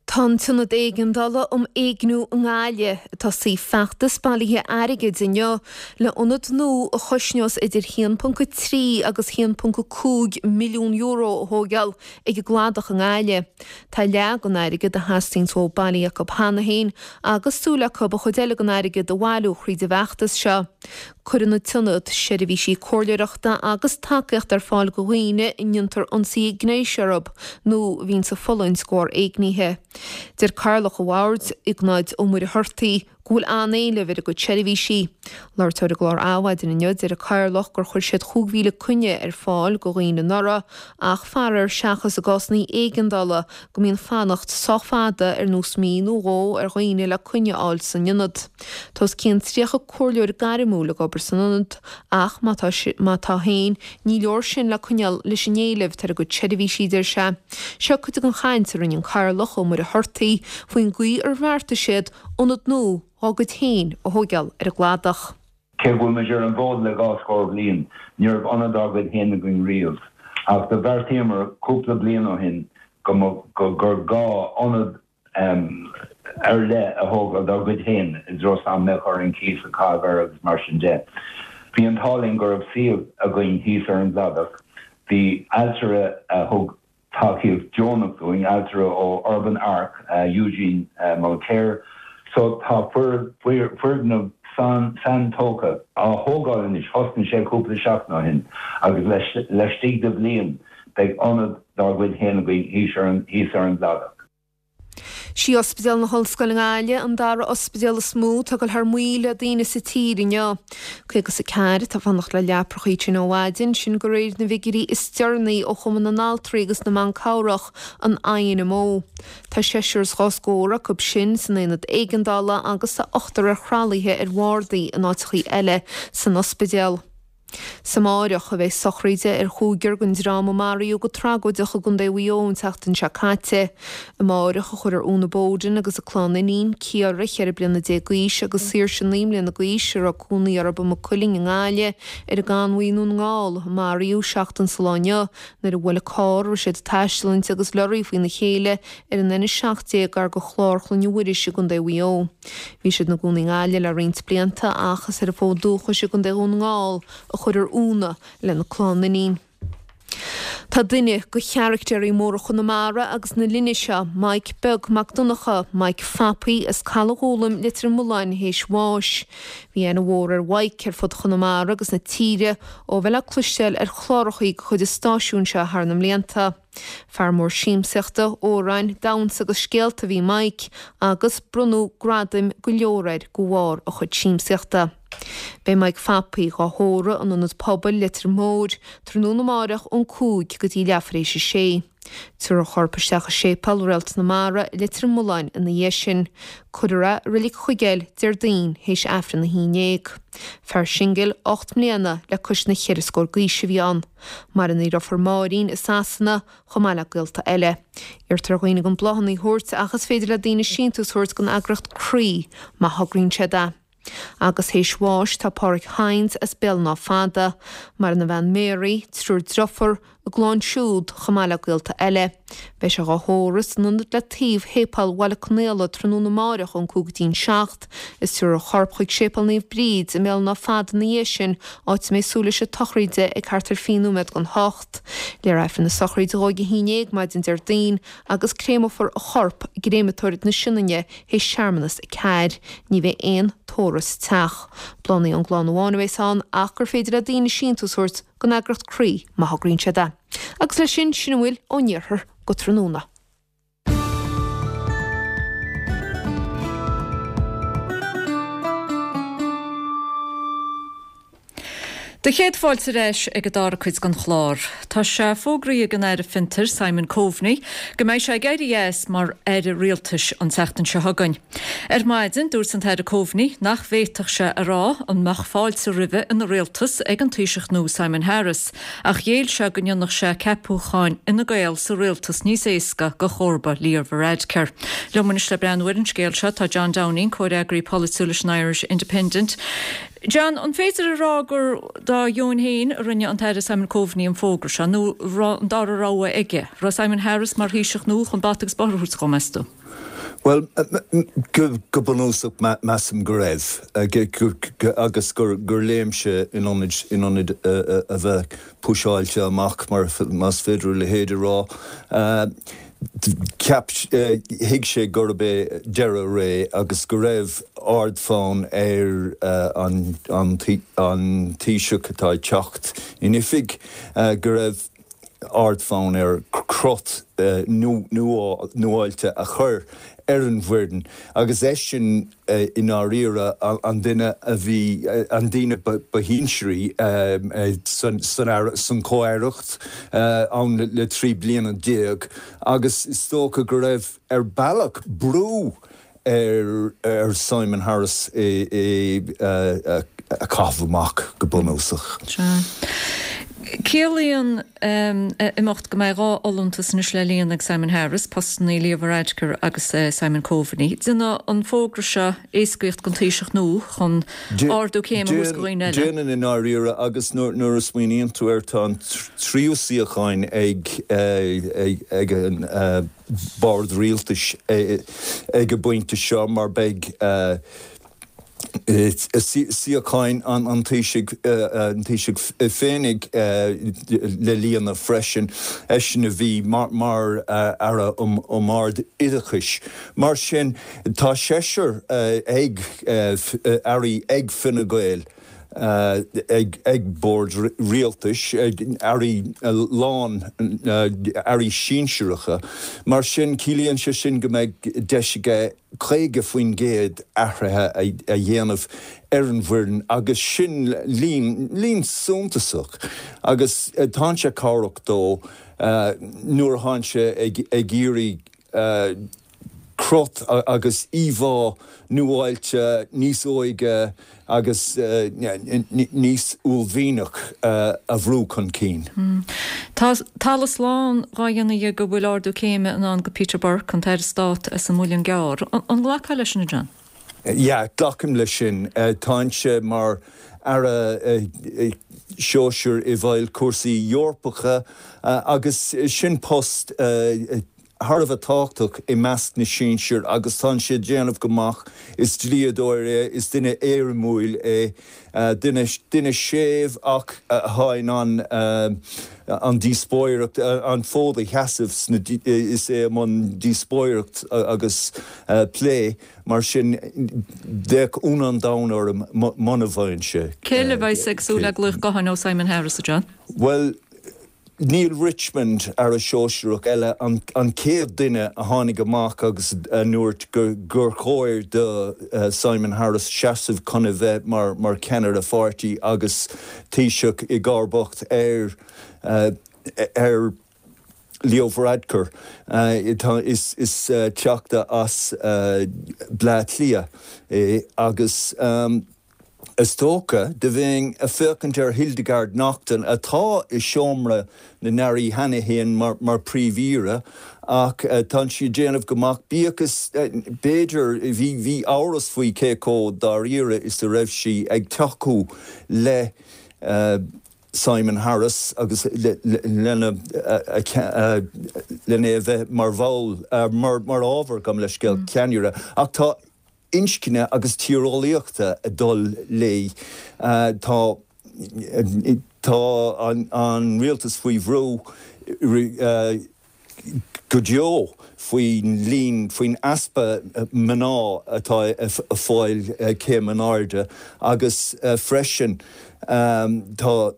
Tá an tIonad Éigeandála um Éigniú i nGaillimh ag tosaí feachtas bailithe airgid inniu le ionad nua a chosnós idir 1.3 agus 1.5 milliún euro a thóigeáil ag an gCladach i nGaillimh. Tá leath den airgead a theastaíonns uathu bailithe acu cheana féin agus súil acu an chuid eile den airgead a bhailiú thríd an bhfeachtas seo. Cuireann an t-ionad seirbhísí comhairleoireachta agus tacaíochta ar fáil do dhaoine a ndéantar ionsaí gnéis orthu nó a bhíonns ag fulaingt de bharr éignithe. Deir Cathaoirleach an Bhoird, Iognáid Ó Muircheartaigh, go bhfuil an-éileamh ar a gcuid seirbhísí. Labhairt ar an gclár Adhmhaidin inniu, deir an Cathaoirleach gur chuir siad 5,000 coinne ar fáil do dhaoine anuraidh ach faraor seachas i gcásanna éigeandála go mbíonn fanacht sách fada ar nós mí nó dhó ar dhaoine le coinne a fháil san ionad. Tá os cionn 30 comhairleoir gairmiúil ag obair san ionad ach má tá má tá féin ní leor sin le coinneáil leis an éileamh atá ar a gcuid seirbhísí, deir sé. Seo cuid den chaint a rinne an Cathaoirleach Ó Muircheartaigh faoin gcaoi ar bheartaigh siad ionad nua dhá gcuid féin a thóigeáil ar an gcladach. Cé go bhfuil muid ar an bhfód le dhá scór bliain, ní raibh ionad dár gcuid féin againn riamh. Ach do bheartaíomar cúpla bliain ó shin go mba, gur gá ionad ar leith a thógáil dár gcuid féin i dtreo is nach mbeadh orainn cíos a chaitheamh air agus mar sin de. Bhí an t-ádh linn go raibh suíomh againn thíos ar an gcladach. Bhí ailtire a thug tacaíocht deonach dúinn, ailtire ó Urban Arc, Eugene Mulcair. So tá foirgneamh saintógtha á thógáil anois, thosnaigh sé cúpla seachtain ó shin agus laistigh de bhliain beidh ionad dár gcuid féin againn thíos ar an gcladach. Sí Ospidéal na hOllscoile i nGaillimh an dara ospidéal is mó atá ag dul thar maoil le daoine sa tír inniu. 54 atá ag fanacht le leaprachaí tinn ó mhaidin, sin de réir na bhfigiúirí is deireanaí ó Chumann na nAltraí agus na mBan Cabhrach, an INMO. Tá seisear is dhá scór acu sin san aonad éigeandála agus tá ochtar ar thralaithe ar bhardaí in áiteachaí eile san ospidéal. 'S amáireach a bheidh sochraid ar chúigear den dream a maraíodh go tragóideach i gContae Mhaigh Eo an tseachtain seo caite. Amáireach a chuirfear Úna Bowden agus a clann iníon, Ciara, 14 bliana d'aois, agus Saoirse, 9 mbliana d'aois, a raibh cónaí orthu i Maigh Cuilinn i nGaillimh, ar an gConmhaigh i nDún na nGall, a maraíodh seachtain sa lá inniu nuair a bhuail carr a raibh siad ag taisteal inti agus lorraí faoina chéile ar an N17 gar do Chlár Chloinne Mhuiris i gContae Mhaigh Eo. Bhí siad ina gcónaí i nGaillimh le roinnt blianta ach is ar an bhfód dúchais i gContae Dhún na nGall a chuirfear Úna lena clann iníon. Tá duine de charaictéirí móra Chonamara agus na linne seo, Maidhc Beag Mac Donncha, Maidhc Phapaí, as Caladh Ghúlaim, Leitir Mealláin, théis bháis. Bhí aithne mhór ar Mhaidhc ar fud Chonamara agus na tíre ó bheith le cloisteáil ar chlárachaí de chuid an stáisiúin seo thar na mblianta. Fear mór siamsaíochta, amhráin, damhsa agus scéalta a bhí i Maidhc agus bronnadh gradaim go leor air de bharr a chuid siamsaíochta. Beidh Maidhc Phapaí dhá thórramh in Ionad Pobail Leitir Móir tráthnóna amáireach ón 5 go dtí leathuair théis a sé. Tabharfar a chorp isteach i Séipéal Réalt na Mara i Leitir Mealláin ina dhiaidh sin. Cuirfear é i Reilig an Chuigéil Déardaoin théis Aifreann a haon ndéag. Fear singil, 8 mbliana le cois na cheithre scór d'aois a bhí ann. Maireann a dheirfiúr Máirín i Sasana chomh maith le gaolta eile. Iarrtar ar dhaoine gan bláthanna a thabhairt ach is féidir le daoine síntiús a thabhairt don eagraíocht Croí má thograíonn siad é. Agus théis bháis tá Páraic Hynes as Béal an Átha Fada, maireann a bhean Mary, triúr driofúr, a gclann siúd, chomh maith le gaolta eile. Beidh sé dhá thórramh san ionad le taobh Shéipéal Bhaile Conaola tráthnóna amáireach ón 5 go dtí'n 7 is tabharfar a chorp chuig Séipéal Naomh Bríd i mBéal an Átha Fada ina dhiaidh sin, áit a mbeidh súil leis an tsochraide ag thart ar 20 nóiméad don hocht. Léifear Aifreann na sochraide dhó ag a haon ndéag maidin Déardaoin agus créamófar a chorp i gcréamatóir na Sionainne théis searmanas a ceathair. Ní bheidh aon tórramh sa teach. Bláthanna ón gclann amháin a bheas ann ach gur féidir le daoine síntiús a thabhairt don eagraíocht Croí má thograíonn siad é. Agus leis sin, sin a bhfuil ón iarthar go tráthnóna. Do chéad fáilte ar ais ag an dara cuid den chlár. Tá sé fógraithe ag an Aire Fiontair, Simon Coveney, go mbeidh sé ag éirí as mar Aire Rialtais an tseachtain seo chugainn. Ar maidin, dúirt an tAire Coveney nach bhféadfadh sé a rá an mbeadh fáilte roimhe ina rialtas ag an Taoiseach nua Simon Harris, ach ghéill sé go ndéanfadh sé ceapúcháin Fhine Gael sa rialtas níos éasca do chomharba Leo Varadkar. Liom anois le breathnú ar an scéal seo tá John Downing, comhfhreagraí polaitiúil leis an Irish Independent. John, an féidir a rá gur dá dheoin féin a rinne an tAire Simon Coveney an fógra seo, nó raibh an dara rogha aige? Raibh Simon Harris mar Thaoiseach nua chun bata agus bóthar a thabhairt dhó, meas tú? Bhuel, go bunúsach, measaim go raibh, agus gur léim sé in ionad a bheith puiseáilte amach, más féidir a leithéid a rá. Cheap, thuig sé gurb é deireadh a ré agus go raibh ardfhonn ar an Taoiseach atá ag teacht in oifig, go raibh ardfhonn air crot nuáilte a chur ar an bhfoireann agus eisean i ndáiríre an duine a bhí, an duine ba shinsearaí san chomh-aireacht ann le 13 bliana agus is dócha go raibh, ar bealach, brú ar Simon Harris é a chaitheamh amach go bunúsach. Sea. Ciallaíonn a imeacht go mbeidh 2 fholúntas anois le líonadh ag Simon Harris, postanna Leo Varadkar agus Simon Coveney. Déanfaidh an fógra seo éascaíocht don Taoiseach nua chun ardú céime a thabhairt do dhaoine eile. Déanann i ndáiríre agus nuair a smaoiníonn tú air tá an tríú suíocháin ag an bord rialtais ag an bpointe seo mar beidh suíocháin an Taoisigh, an Taoisigh féinig le líonadh freisin, eisean a bhí mar Aire um Ard-Oideachais. Mar sin, tá seisear ag Airí ag Fine Gael ag bord rialtais, airí lán, airí sinsearacha. Mar sin, ciallaíonn sé sin go mbeidh deis aige 50% athruithe a dhéanamh ar an bhfoireann agus sin líon, líon suntasach agus tá sé cabhrach dó nuair atánn sé ag iarraidh crot agus íomhá nuáilte, níos óige agus níos uaillmhianach a bhrú chun cinn. Tá talamh slán dhá dhéanamh dhe go bhfuil ardú céime i ndán go Peter Burke, an tAire Stáit as an Muileann gCearr. An nglacfá leis sin, a John? Yeah, glacaim leis sin. Tánn sé mar Aire Sóisir i bhfeighil cúrsaí Eorpacha agus sin post thar a bheith tábhachtach i measc na sinsear agus tánn sé ag déanamh go maith. Is dlíodóir é, is duine éirimiúil é, duine, duine séimh ach atá in ann an díospóireacht, an fód a sheasamh sna, is é i mbun díospóireacht agus plé, mar sin bheadh ionadh an domhain orm muna bhfaigheann sé. Cé eile a bheas ag súil le glaoch gutháin ó Simon Harris, a John? Bhuel, Neale Richmond, Aire Sóisearach eile, an chéad duine a tháinig amach agus a ndúirt gur chóir do Simon Harris seasamh chun a bheith mar cheannaire pháirtí agus Taoiseach i gcomharbacht ar ar. Leo Varadkar. Is teachta as Bleá Cliath é agus is dócha, do bheinn a' féachaint ar Hildegarde Naughton atá i seomra na nAirí cheana fhéin mar Príomh-Aoire ach tá sí ag déanamh go maith, bíodh is, b'fhéidir, bhí amhras faoi cé chomh dáiríre is a raibh sí ag tacú le Simon Harris agus lena lena é a bheith mar bhall, mar ábhar, gabh mo leithscéal, ceannaire. Ach tá inscne agus tíreolaíochta ag dul léi. Tá tá an rialtas faoi bhrú. go deo faoin líon, faoin easpa mná atá ag fáil céim in airde agus freisin tá,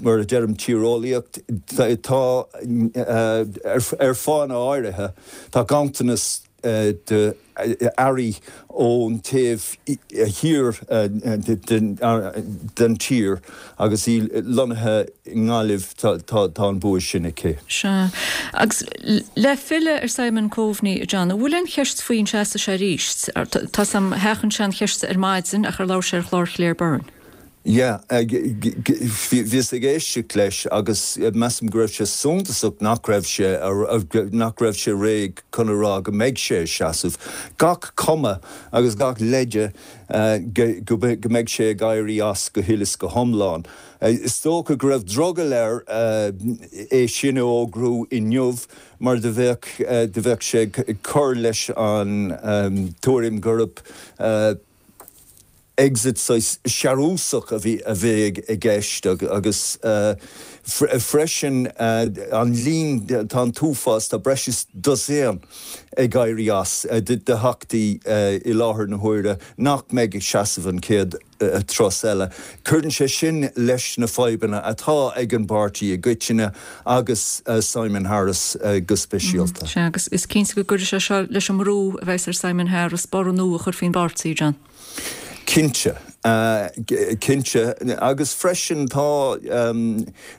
mar a deirim, tíreolaíocht, tá, ar fáthanna áirithe, tá ganntanas de airí ón taobh thiar den tír agus í lonnaithe i nGaillimh, tá an bua sin aici. Sea. Agus le filleadh ar Simon Coveney, a John, an bhfuil aon cheist faoi an seasfaidh sé arís? Tá 's a'm, sheachain sé an cheist ar maidin ach ar labhair sé ar chlár Claire Byrne. Yeah, bhíos ag éisteacht leis agus measaim go raibh sé suntasach nach raibh sé, nach raibh sé réidh chun a rá go mbeidh sé ag seasamh. Gach cuma agus gach leide go mbeidh sé ag éirí as go huile is go hiomlán. Is dócha go raibh drogall air é sin a fhógrú inniu mar do bheadh, do bheadh sé ag cur leis an tuairim gurb, exit saghas searúsach a bhí a bheidh i gceist agus freisin an líon, tá an t-uafás, tá breis is dosaen ag éirí as de theachtaí i láthair na huaire nach mbeidh ag seasamh an chéad turas eile. Cuireann sé sin leis na fadhbanna atá ag an bpáirtí i gcoitinne agus Simon Harris go speisialta. Sea, agus is cinnte go gcuirfidh sé seo leis an mbrú a bheas ar Simon Harris borradh nua a chur faoin bpáirtí, John. Cinnte. Cinnte. Agus freisin tá,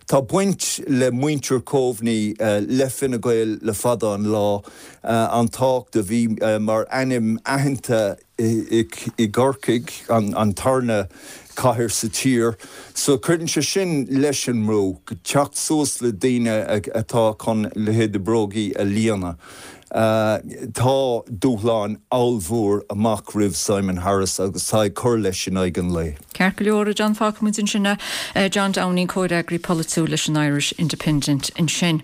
tá baint le muintir Coveney le Fine Gael le fada an lá, an tábhacht a bhí mar ainm aitheanta i gCorcaigh, an tarna cathair sa tír. So cuireann sé sin leis an mbrú, teacht suas le daoine atá chun leithéid de brógaí a líonadh. Tá dúshláin ollmhór amach roimh Simon Harris agus tá ag cur leis in aghaidh an lae. Ceart go leor, a John, fágfaidh muid ansin é. John Downing, comhfhreagraí polaitiúil leis an Irish Independent ansin.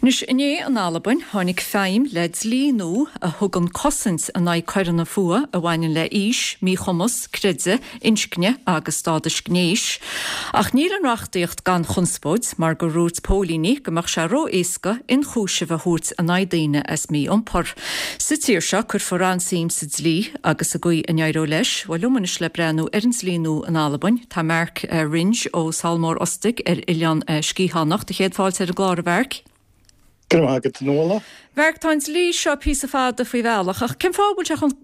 Anois, inné in Albain, tháinig feidhm le dlí nua a thugann cosaint in aghaidh coireanna fuatha a bhaineann le aois, míchumas, creideamh, inscne agus stádas gnéis. Ach níl an reachtaíocht gan chonspóid, mar gur dhúirt póilíní go mbeadh sé ró-éasca ionchúiseamh a thabhairt in aghaidh daoine as mí-iompar. Sa tír seo, cuirfear an-suim sa dlí agus sa gcaoi a n-éireoidh leis. Bhuel, liom anois le breathnú ar an dlí nua in Albain, tá Mark Wringe ó Sabhal Mór Ostaig ar Oileán Sgitheanach. Do chéad fáilte ar an gclár, a Mhark. Go raibh maith agat, a Nuala. Mhark, tá an dlí seo píosa fada faoi bhealach, ach cén fáth a bhfuil sé chomh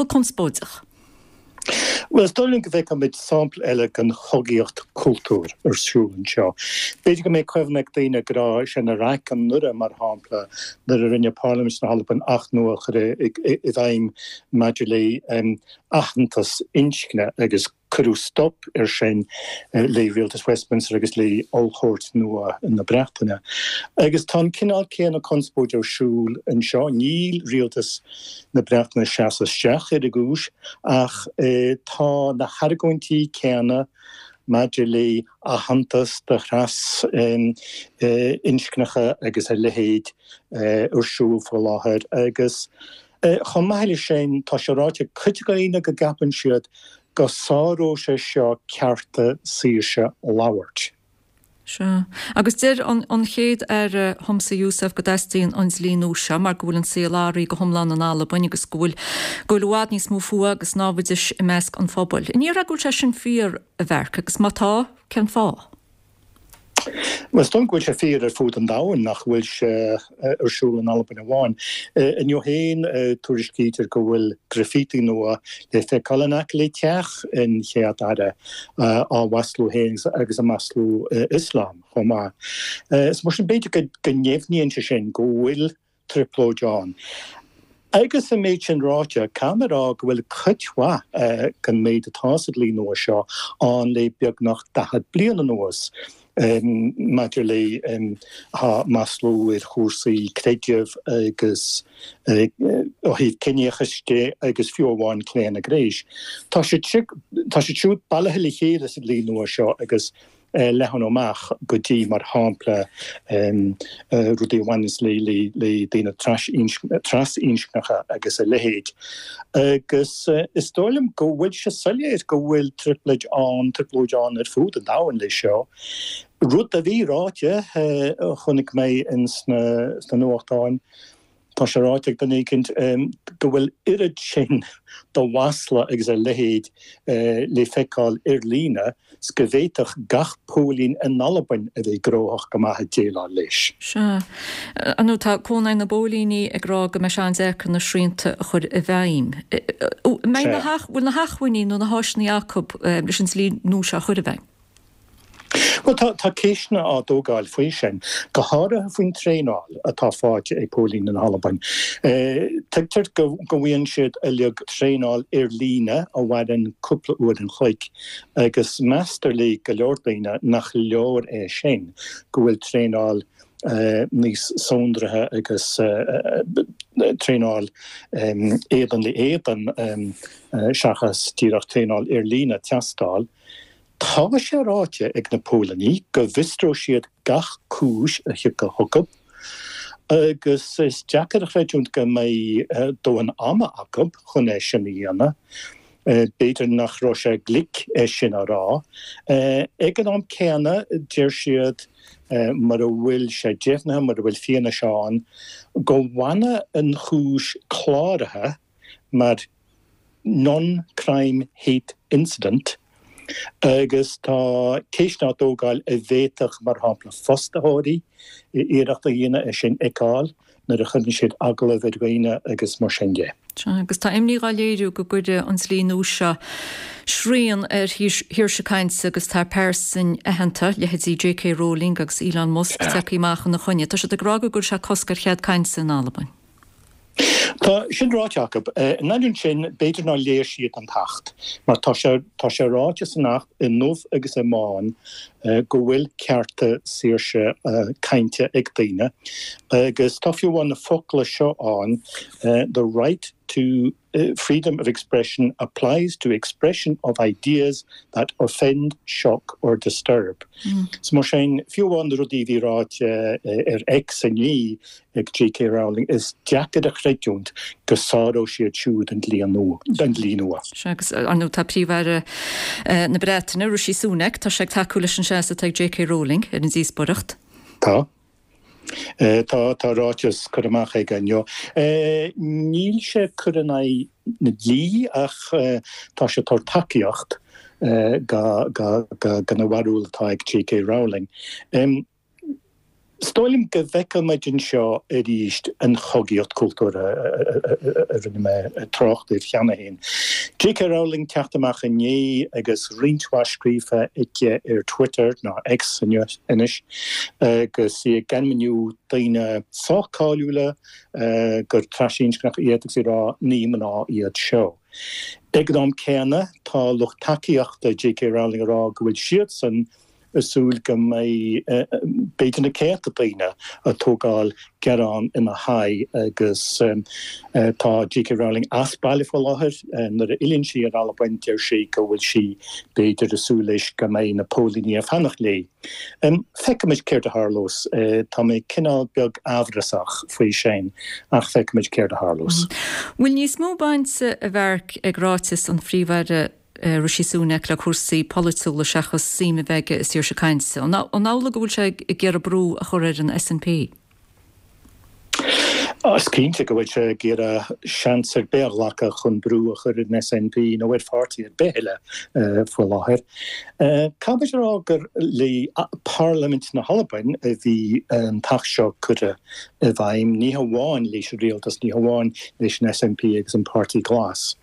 conspóideach? Bhuel, is dóigh liom go bhfeicfimid sampla eile den chogaíocht cultúir ar siúl anseo. B'fhéidir go mbeidh cuimhne ag daoine go raibh sé na raic anuraidh, mar shampla, nuair a rinne Parlaimint na hAlban acht nua a chur i bhfeidhm maidir le aitheantas inscne agus Cuireadh stop air sin le Rialtas Westminster agus le Ollchúirt nua na Breataine. Agus tá an cineál céanna conspóide ar siúl anseo. Níl Rialtas na Breataine ag seasamh isteach ar an gcúis ach tá na hargóintí céanna maidir le aitheantas do thras-inscneacha agus a leithéid ar siúl faoi láthair agus Chomh maith leis sin, tá sé ráite ag cuid de dhaoine go gceapann siad go sáródh sé seo cearta saoirse labhairt. Sea. Agus deir an chéad Aire Humza Yousaf go dteastaíonn an dlí nua seo mar go bhfuil an saol athraithe go hiomlán in Albain agus go bhfuil go bhfuil i bhfad níos mó fuatha agus námhaidis i measc an phobail. An ndéarfá go bhfuil sé sin fíor, a Mhark, agus má tá, cén fáth? Bhuel, is dóigh liom go bhfuil sé fíor ar fud an domhain, nach bhfuil sé ar siúl in Albain amháin. Inniu féin, tuairiscítear go bhfuil graffiti nua le feiceáil in aice le teach an Chéad Aire, á mhaslú féin agus ag maslú Ioslam chomh maith. Is mar sin, b'fhéidir go ndeimhníonn sé sin go bhfuil trioblóid ann. Agus an méid sin ráite, caithfidh mé a rá go bhfuil cuid mhaith den méid atá sa dlí nua seo ann le beagnach 40 bliain anuas maidir le maslú ar chúrsaí creidimh agus ó thaobh ciníochais de agus fiú amháin claonadh gnéis. Tá siad siúd bailithe le chéile sa dlí nua seo agus leathnú amach go dtí, mar shampla, rudaí a bhaineanns le daoine trasinscneacha agus a leithéid. Agus is dóigh liom go bhfuil sé soiléir go bhfuil trioblóid ann, trioblóid ann ar fud an domhain leis seo. Rud a bhí ráite, a chonaic mé ins na nuachtáin, Tá sé ráite ag duine éicint go bhfuil oiread sin de mhasla agus a leithéid le feiceáil ar líne 's go bhféadfadh gach póilín in Albain a bheith gnóthach go maith ag déileáil leis. Sea. Ar ndóigh, tá Cónaidhm na bPóilíní ag rá go mbeidh sé an-deacair na srianta a chur i bhfeidhm. Bhfuil na hacmhainní nó na háiseanna acu leis an dlí nua seo a chur i bhfeidhm? Bhuel, tá, tá ceisteanna á dtógáil faoi sin, go háirithe faoin traenáil atá faighte ag póilíní na hAlbain. Tuigtear go bhfaigheann siad uilig traenáil ar líne a mhaireann cúpla uair an chloig agus meastar le go leor daoine nach leor é sin, go bhfuil traenáil níos sonraithe agus traenáil éadan le éadan seachas díreach traenáil ar líne ag teastáil. Tá sé ráite ag na póilíní go bhfiosróidh siad gach cúis a thiocfaidh chucu agus is deacair a chreidiúint go mbeidh dóthain ama acu chun é sin a dhéanamh. B'fhéidir nach raibh sé glic é sin a rá. Ag an am céanna, deir siad, mura bhfuil sé deimhnithe, mura bhfuil fianaise ann, go bhfanfaidh an chúis cláraithe mar non-crime hate incident agus tá ceisteanna á dtógáil an bhféadfadh, mar shampla, fostaitheoirí iarracht a dhéanamh é sin a fheiceáil nuair a chuireann siad agallamh ar dhaoine agus mar sin de. Sea, agus tá imní dhá léiriú go gcuirfidh an dlí nua seo srian ar shaoirse cainte agus tá pearsain aitheanta, leithéidí JK Rowling agus Elon Musk, tagtha amach ina choinne. Tá siad ag rá go gcuirfidh sé cosc ar chead cainte in Albain. Tá sin ráite acu. In ainneoin sin, b'fhéidir nár léigh siad an tAcht, mar tá sé, tá sé ráite san Acht i ndubh agus i mbán go bhfuil cearta saoirse cainte ag daoine, agus tá fiú amháin na focla seo ann, the right to freedom of expression applies to expression of ideas that offend, shock or disturb. So mar sin, fiú amháin na rudaí a bhí ráite ar X inné ag JK Rowling, is deacair a chreidiúint go sáródh siad siúd an dlí nua. Sea, agus ar ndóigh tá Príomh-Aire na Breataine, Rishi Sunak, tá sé ag tacú leis an seasamh atá ag JK Rowling ar an díospóireacht. Tá. Tá, tá ráiteas curtha amach aige inniu. Níl sé ag cur in aghaidh na dlí ach tá sé ag tabhairt tacaíocht do na bharúil atá ag JK Rowling. Is dóigh liom go bhfeicfimid anseo arís an chogaíocht cultúrtha a rinne mé trácht air cheana féin. JK Rowling teacht amach inné agus roinnt mhaith scríofa aici ar Twitter, nó X anois, agus í ag ainmniú daoine sách cáiliúla gur trasinscneach iad agus ag rá ní mná iad seo. Ag an am céanna tá lucht tacaíochta JK Rowling ag rá go bhfuil siadsan ag súil go mbeidh b'fhéidir na céadta daoine ag tógáil gearán ina haghaidh agus tá JK Rowling as baile faoi láthair. Nuair a fhilleann sí ar Albain deir sí go bhfuil sí b'fhéidir ag súil leis go mbeidh na póilíní ag fanacht léi. Feicfimid céard a tharlós. Tá mé cineál beag amhrasach faoi sin ach feicfimid céard a tharlós. Bhfuil níos mó bainte a Mharc ag ráiteas an Phríomh-Aire Rishi Sunak le cúrsaí polaitiúla seachas suim a bheith aige i saoirse cainte. An amhlaidh go bhfuil sé ag iarraidh brú a chur ar an SNP? Is cinnte go bhfuil sé ag iarraidh seans ar bith a ghlacadh chun brú a chur ar an SNP nó ar pháirtí ar bith eile faoi láthair. Caithfidh muid a rá gur le Parlaimint na hAlbain a bhí an t-acht seo curtha i bhfeidhm, ní hamháin leis an rialtas, ní hamháin leis an SNP agus an Páirtí Glas.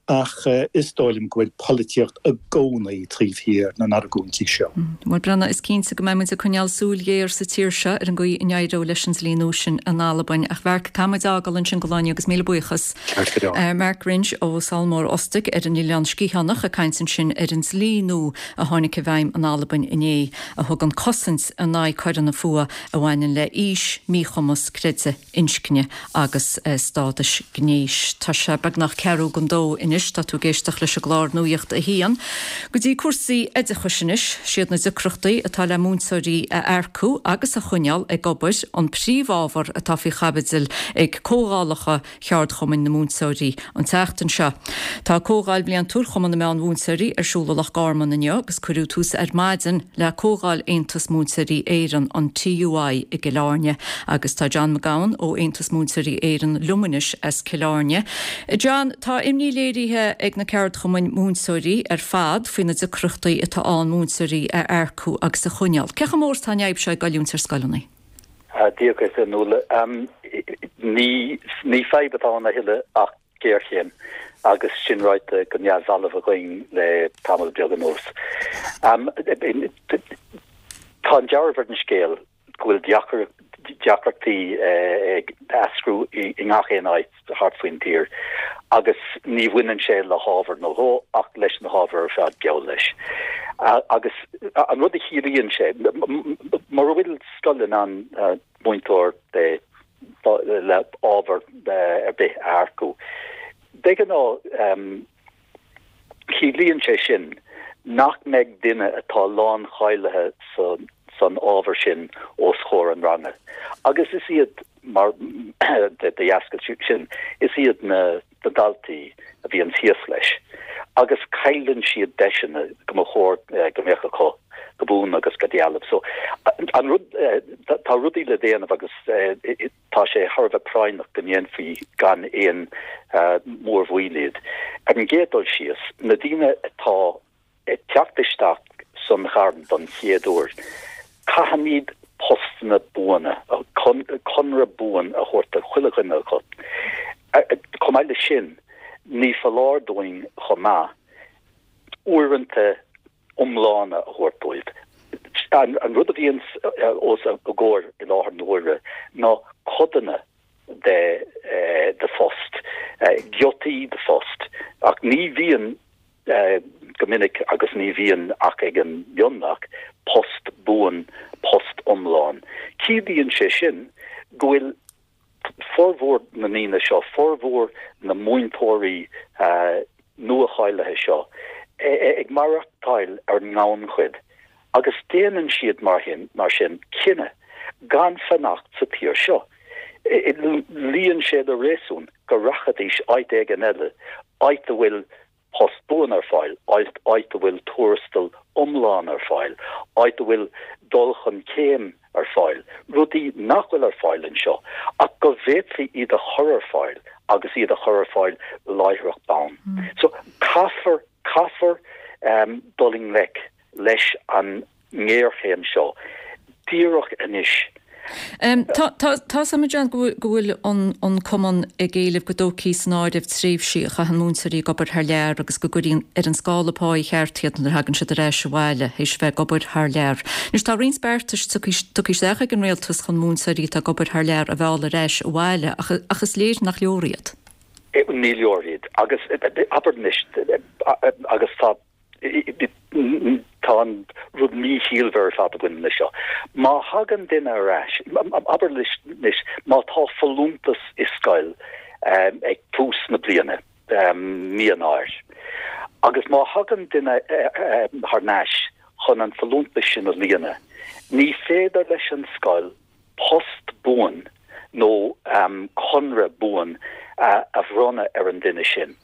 Ach is dóigh liom go bhfuil polaitíocht i gcónaí taobh thiar na n-argóintí seo. Bhuel, Breandán, is cinnte go mbeidh muid ag coinneáil súil ghéar sa tír seo ar an gcaoi a n-éireoidh leis an dlí nua sin in Albain. Ach Mharc, caithfidh muid fhágáil ansin don lá inniu agus míle buíochas. Ceart go leor. Mark Wringe ó Sabhal Mòr Ostaig ar an Oileán Sgitheanach ag caint ansin ar an dlí nua a tháinig i bhfeidhm in Albain inné a thugann cosaint in aghaidh coireanna fuatha a bhaineann le aois, míchumas, creideamh. inscne agus stádais gnéis. Tá sé beagnach ceathrú don dó anois. Tá tú ag éisteacht leis an gclár Nuacht a hAon. Go dtí cúrsaí oideachais anois. Siad na deacrachtaí atá le múinteoirí a earcú agus a choinneáil ag obair an príomhábhar atá faoi chaibidil ag comhdhálacha cheardchumainn na múinteoirí an tseachtain seo. Tá Comhdháil Bhliantúil Chumann na Meán-Mhúinteoirí ar siúl i Loch Garman inniu agus cuireadh tús ar maidin le Comhdháil Aontas Múinteoirí Éireann, an TUI, i gCill Airne. Agus tá John Mac Gabhann ó Aontas Múinteoirí Éireann liom anois as Cill Airne. John, tá imní léirithe ag na ceardchumainn múinteoirí ar fad faoi na deacrachtaí atá ann múinteoirí a earcú agus a choinneáil. Cé chomh mór is atá an fhadhb seo ag goilliúint ar scoileanna? Dia dhuit, a Nuala. Ní ní fadhb atá ann a thuilleadh ach géarchéim, agus sin ráite go neamhbhalbh againn le tamall beag anuas. Tá an dealramh ar an scéal go bhfuil deacrachtaí ag eascrú i ngach aon áit thart faoin tír agus ní bhaineann sé le hábhar nó dhó ach leis na hábhair ar fad geall leis. Agus an rud a chiallaíonn sé, mura bhfuil scoil in ann múinteoir le ábhar ar bith a earcú, de ghnáth ciallaíonn sé sin nach mbeidh duine atá láncháilithe san ábhar sin os comhair an ranga. Agus is iad mar de dheasca sin, is iad na daltaí a bhíonn thíos leis agus cailleann siad deiseanna go mba chóir go mbeadh acu go buan agus go dealbh. So an rud, tá rudaí le déanamh agus tá sé thar a bheith práinneach go ndéanfaí gan aon mhórmhoill iad. Ar an gcéad dul síos, na daoine atá ag teacht isteach san ghairm don chéad uair, caithfimid postanna buana, conradh buan a thabhairt do chuile dhuine acu. Chomh maith leis sin, ní foláir dúinn chomh maith uaireanta iomlána a thabhairt dóibh. An rud a bhíonn os a gcomhair i láthair na huaire ná codanna de phost, giotaí de phost, ach ní bhíonn go minic agus ní bhíonn ach ag an mionlach, post buan, post iomlán. Ciallaíonn sé sin go bhfuil formhór na ndaoine seo, formhór na múinteoirí nua-cháilithe seo ag maireachtáil ar an ngannchuid agus déanann siad mar sin cinneadh gan fanacht sa tír seo. Luíonn sé le réasún go rachaidís áit éigin eile, áit a bhfuil post buan ar fáil, áit a bhfuil tuarastal iomlán ar fáil, áit a bhfuil dul chun céim ar fáil, rudaí nach bhfuil ar fáil anseo ach go bhféadfaí iad a chur ar fáil agus iad a chur ar fáil láithreach bonn. So caithfear, caithfear dul i ngleic leis an ngéarchéim seo díreach anois. Tá 's agam, a John, go bhfuil an Cumann ag éileamh go dtógfaí san áireamh tréimhsí a chaitheann múinteoirí ag obair thar lear agus go gcuirfí ar an scála páí cheart iad nuair a thagann siad ar ais abhaile théis a bheith ag obair thar lear. Anois tá roinnt beartais tugtha isteach ag an Rialtas chun múinteoirí atá ag obair thar lear a mhealladh ar ais abhaile ach is léir nach leor iad. Ní leor iad agus abair anois agus tá Tá an rud míchiallmhar ar fad a bhaineann leis seo. Má thagann duine ar ais, abair anois, má tá folúntas i scoil ag tús na bliana, mí Eanáir, agus má thagann duine thar n-ais chun an folúntas sin a líonadh, ní féidir leis an scoil post buan nó conradh buan a bhronnadh ar an duine sin.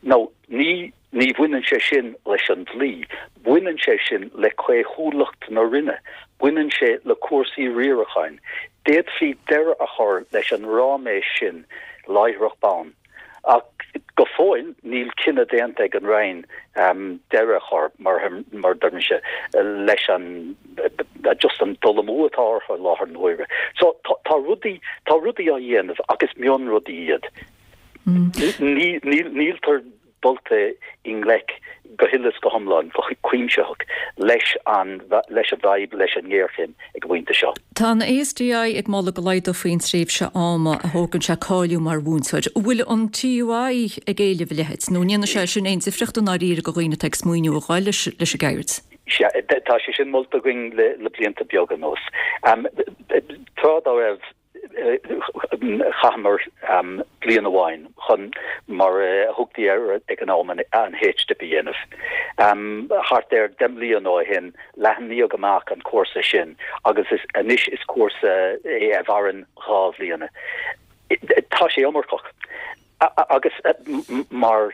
Nó ní ní bhaineann sé sin leis an dlí, baineann sé sin le caothúlacht na Roinne, baineann sé le cúrsaí riaracháin. D'fhéadfaí deireadh a chur leis an ráiméis sin láithreach bonn, ach go fóill níl cinneadh déanta ag an Roinn deireadh a chur, mar a deirimse, leis an just an dul amú atá orthu i láthair na huaire. So tá rudaí, tá rudaí á dhéanamh ach is mionrudaí iad. Níltear dulta i ngleic go huile is go hiomlán, go cuimsitheach leis an leis an bhfadhb, leis an ngéarchéim ag an bpointe seo. Tá an ASDI ag moladh go laghdófaí an tréimhse ama a thógann sé cáiliú mar mhúinteoir. An bhfuil an TUI ag éileamh a leithéid, nó an ndéanfaidh sé sin aon difríocht i ndáiríre do dhaoine atá ag smaoineamh a ghabháil leis an gceird? Sea, tá sé sin molta againn le blianta beaga anuas. Tráth dá raibh, Chaitheamar bliain amháin chun, mar a thugtaí air ag an am, an H-Dip a dhéanamh. Thart ar 10 mbliana ó shin, leathnaíodh amach an cúrsa sin agus anois is cúrsa é a mhaireann 2 bhliana. Tá sé iomarcach. Agus mar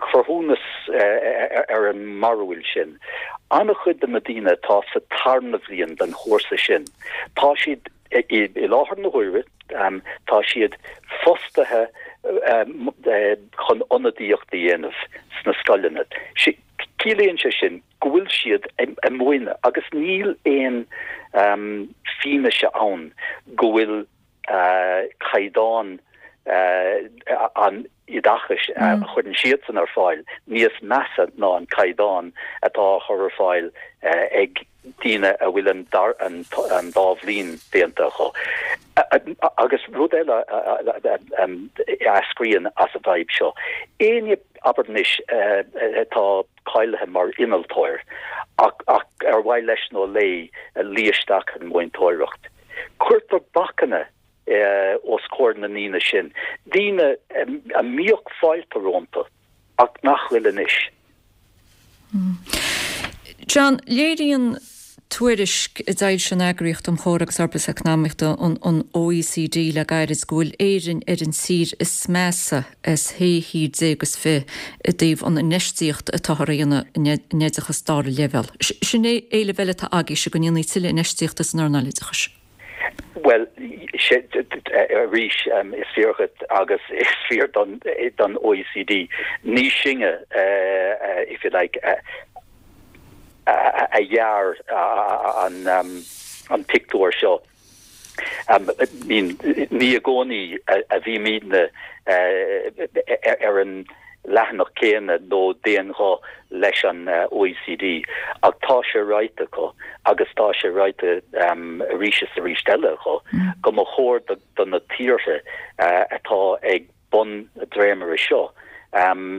chruthúnas ar an mbarúil sin, an-chuid de na daoine atá sa tarna bhliain den chúrsa sin, tá siad, i láthair na huaire, tá siad fostaithe chun ionadaíocht a dhéanamh sna scoileanna. Ciallaíonn sé sin go bhfuil siad ag múineadh agus níl aon fianaise ann go bhfuil caighdeán an oideachais a chuireann siadsan ar fáil níos measa ná an caighdeán atá á chur ar fáil ag daoine a bhfuil an dá bhliain déanta acu. Agus rud eile a eascraíonn as an bhfadhb seo, éinne, abair anois, atá cáilithe mar innealtóir ach ar mhaith leis nó léi luí isteach an mhúinteoireacht, Cuirtear bacanna os comhair na ndaoine sin, daoine a mbíodh fáilte rompu ach nach bhfuil anois. John, léiríonn tuairisc a d'fhoilsigh an Eagraíocht um Chomhar agus Fhorbairt Eacnamaíochta, an OECD, le gairid go bhfuil Éirinn ar an tír is measa as shé thír déag is fi i dtaobh an infheistíocht atáthar a dhéanamh in oideachas dara leibhéal. Sin é éileamh eile atá agaibhse, go ndéanfaí tuilleadh infheistíochta san earnáil oideachais. Bhuel, arís, is fíor dhuit agus is fíor don OECD. Ní sinne, if you like, a dhear an pictiúr seo. Ní i gcónaí a bhímidne ar an leathanach céanna nó d'aon ghuth leis an OECD ach tá sé ráite acu agus tá sé ráite arís is arís eile acu go mba chóir do na tíortha atá ag bun na dréimire seo,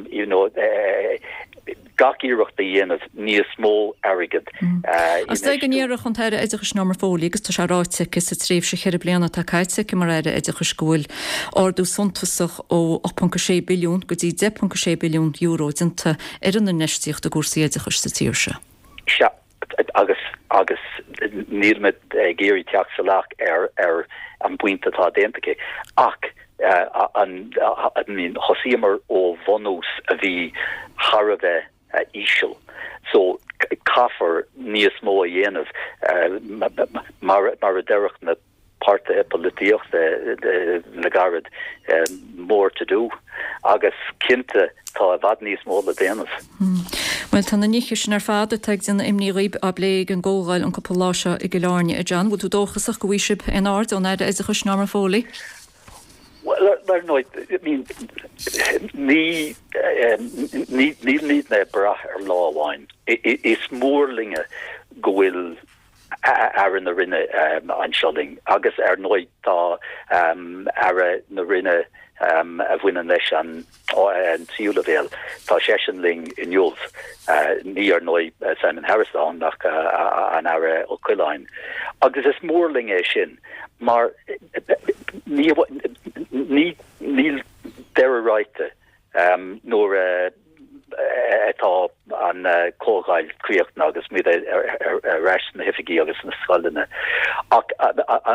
you know, gach iarracht a dhéanamh níos mó airgid a Is dóigh go ndéarfadh an tAire Oideachais Norma Foley, agus tá sé ráite aici sa tréimhse cheithre bliana atá caite aici mar Aire Oideachais, go bhfuil ardú suntasach ó 8.6 billiún go dtí 10.6 billiún euro déanta ar an infheistíocht i gcúrsaí oideachais sa tír seo. Sea, agus agus níl mé ag iarraidh teacht salach ar ar an bpointe atá déanta aici, ach an I mean thosaíomar ó bhunús a bhí thar a bheith íseal so caithfear níos mó a dhéanamh mar mar a déarfadh na páirtithe polaitíochta le gairid, more to do agus cinnte tá i bhfad níos mó le déanamh. Bhuel, tá na nithe sin ar fad atá ag déanamh imní dhaoib á bplé ag an gcomhdháil an cúpla lá seo i gCill Airne. A John, bhfuil tú dóchasach go bhfaighidh sibh aon aird ón Aire Oideachais Norma Foley? Bhuel, ar ndóigh, I mean, ní, ní, nílimidne ag brath ar lá amháin. Is mór linne go bhfuil Aire na Roinne anseo linn agus ar ndóigh tá Aire na Roinne a bhaineann leis an tríú leibhéal, tá seisean linn inniu, ní ar ndóigh Simon Harris ann ach an Aire Ó Coileáin. Agus is mór linn é sin mar níl deireadh ráite Nuair atá an chomhdháil críochnaithe agus muid ar ais sna hoifigí agus sna scoileanna. Ach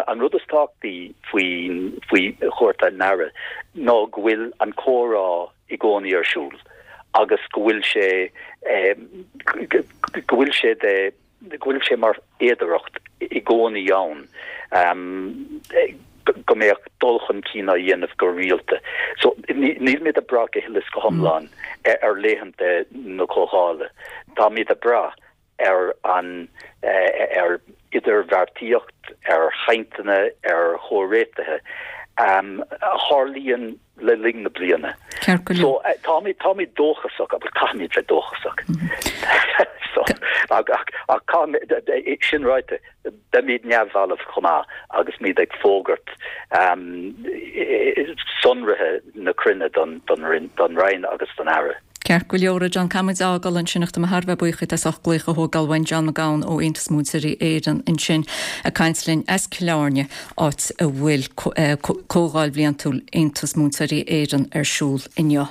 an rud is tábhachtaí faoi chuairt an Aire ná go bhfuil an comhrá i gcónaí ar siúl agus go bhfuil sé go bhfuil sé de go bhfuil sé mar fhéidearthacht. i gcónaí ann go mbeadh dul chun cinn á dhéanamh go rialta. So nílimid ag brath go huile is go hiomlán ar laethanta na comhdhála. Táimid ag brath ar an ar idirbheartaíocht, ar chainteanna, ar chomhréitithe a tharlaíonn le linn na bliana. Ceart go leor. So táimid táimid dóchasach agus caithfimid bheith dóchasach. So ach ach caithfimid sin ráite beimid neamhbhalbh chomh maith agus muid ag fógairt sonraithe na cruinne don don Roinn agus don Aire. Ceart go leor, a John, caithfidh muid a fhágáil ansin ach tá mé thar a bheith buíoch díot as ucht glaoch a thógáil uainn, John Mac Gabhann ó Aontas Múinteoirí Éireann ansin ag caint linn as Cill Airne, áit a bhfuil Comhdháil Bhliantúil Aontas Múinteoirí Éireann ar siúl inniu.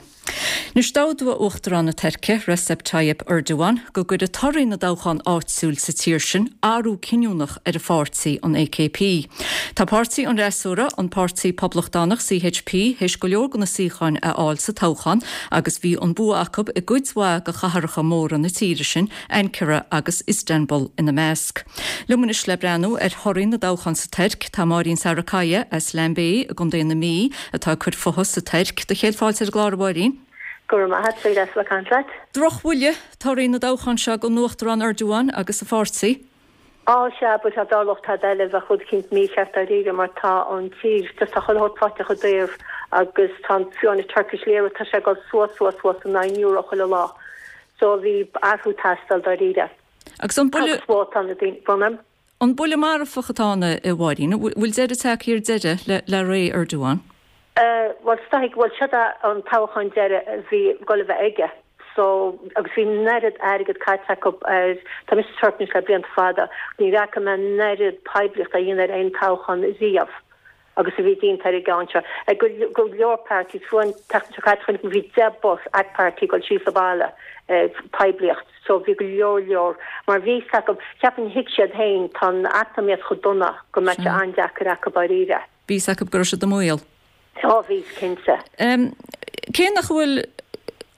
Anois d'fhógair Uachtarán na Tuirce, Recep Tayyip Erdogan, go gcuirfidh torthaí na dtoghchán áitiúil sa tír sin athrú cinniúnach ar a pháirtí, an AKP. Tá páirtí an fhreasúra, an Páirtí Poblachtánach, CHP, théis go leor de na suíocháin a fháil sa toghchán agus bhí an bua acu i gcuid mhaith de chathracha móra na tíre sin, Ankara agus Istanbul ina measc. Liom anois le breathnú ar thorthaí na dtoghchán sa Tuirc tá Máirín Sarikaya as Lambay i gContae na Mí atá ag cur futha sa Tuirc. Do chéad fáilte ar an gclár a Mháirín. Go raibh maith a't, deas a bheith ag caint leat. Drochbhuille torthaí na dtoghchán seo don Uachtarán Erdogan agus a pháirtí. Á sea, but dá dtarlódh tada eile bheadh rud eicínt mícheart dáiríre mar tá an tír just tá chuile shórt faighte chomh daor agus tá an fiú an Turkish lira tá sé ag dul suas suas suas in aghaidh an euro chuile lá so bhí athrú ag teastáil dáiríre. Agus an buille. Agus vótáil na daoine, bhuel. An buille marfach atá ann, a Mháirín? An bhfuil deireadh tagtha ar deireadh le ré Erdogan? Bhuel, is dóigh, bhuel, seo é an toghchán deiridh a bhí ag dul a bheith aige. So, agus bhí an oiread airgead caite acu ar, tá mise sa Tuirc anois le blianta fada, ní fhaca mé an oiread poiblíochta á dhéanamh ar aon toghchán riamh. agus a bhí déanta ar an gceann seo. Ag go leor parties, fiú an tseachtain seo caite chonaic mé bhí 10 bus AK Party ag dul síos an baile ag poiblíocht so bhí go leor leor mar bhí fhios acu, cheapfainn thuig siad féin tá an eacnamaíocht chomh dona go mbeadh sé an-deacair acu dáiríre. Bhí fhios acu go raibh siad i mbaol. Tá, bhí, cinnte. Cé nach bhfuil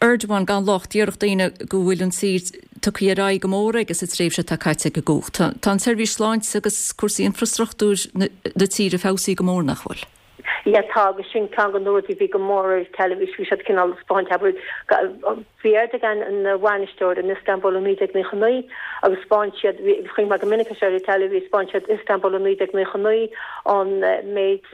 Erdogan gan locht, déarfadh daoine go bhfuil an tír tugtha ar aghaidh go mór aige sa tréimhse atá caite ag an gcumhacht. Tá an tseirbhís sláinte agus cúrsaí infreastruchtúir na tíre feabhsaithe go mór, nach bhfuil? Yeah, tá, agus sin ceann de na rudaí a bhí go mór ar an teilifís, bhí siad cineál ag spáint, abair, bhí Erdogan ina bhainisteoir in Istanbul i 1999 agus spáin siad, bhí, chonaic mé go minic é seo ar an teilifís, spáin siad Istanbul i 1999, an méid,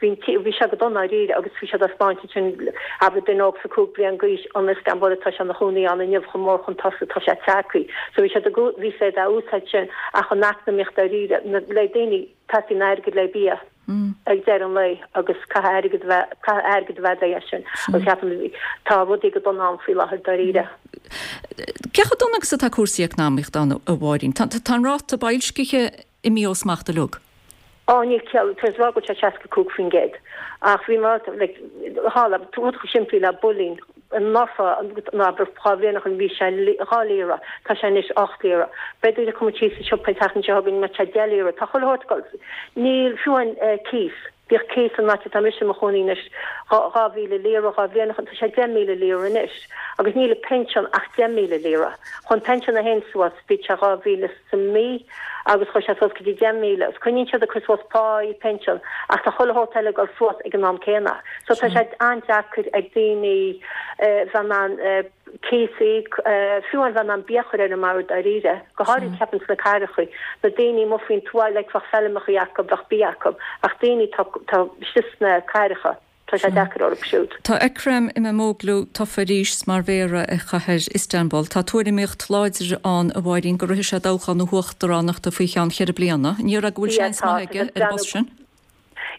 bhí an tí, bhí sé go dona dáiríre agus bhí siad á spáint ansin, abair, duine óg 25 bliain d'aois, an Istanbul atá sé ina chónaí ann inniu, chomh mór chun tosaigh atá sé tagtha. So bhí siad ag, bhí siad á úsáid sin ach an eacnamaíocht dáiríre, na, le daoine, teastaíonn airgead le bia ag deireadh an lae agus caithfidh airgead a bheith, caithfidh airgead a bheith le sin agus ceapaim tá rudaí go dona ann faoi láthair dáiríre. Cé chomh dona agus atá cúrsaí eacnamaíochta ann, a Mháirín? Tá, tá an ráta boilscithe imithe ó smacht uilig. Á, níl ciall, tá siad ag rá go bhfuil sé 65% ach bhí mé, like, tharla, rud chomh simplí le builín, anuraidh, nó abair 2 bhliain ó shin bhí sé 2 lira, tá sé anois 8 lira. Beidh daoine ag cur síos sa siopa an tseachtain seo chugainn, mbeidh sé 10 lira. Tá chuile shórt ag dul. Níl, fiú an cíos, bhíodh cíos an áit atá mise i mo chónaí anois 2,000 lira 2 bhliain ó shin, tá sé 10,000 lira anois. Agus níl an pinsean ach 10,000 lira. Chuaigh an pinsean féin suas, bhí sé 2,000 sa mí agus chuaigh sé suas go dtí 10,000 agus coinníonn siad ag cur suas páí, pinsean ach tá chuile shórt eile ag dul suas ag an am céanna. So tá sé an-deacair ag daoine bheith in ann cíos a íoc, fiú amháin bheith in ann bia a chur ar an mbord dáiríre, go háirid ceapaim sna cathracha, na daoine amuigh faoin tuath like bheadh feilmeacha acu, bheadh bia acu ach daoine atá istigh sna cathracha. Tá sé deacair orthu siúd. Tá Ekrem Imamoglu tofa arís mar mhéara ar chathair Istanbul. Tá tuairimíocht láidir ann, a Mháirín, go rithfidh sé toghchán na huachtaránachta faoi cheann cheithre bliana. An ndéarfá go bhfuil seans maith aige ar an bpost sin?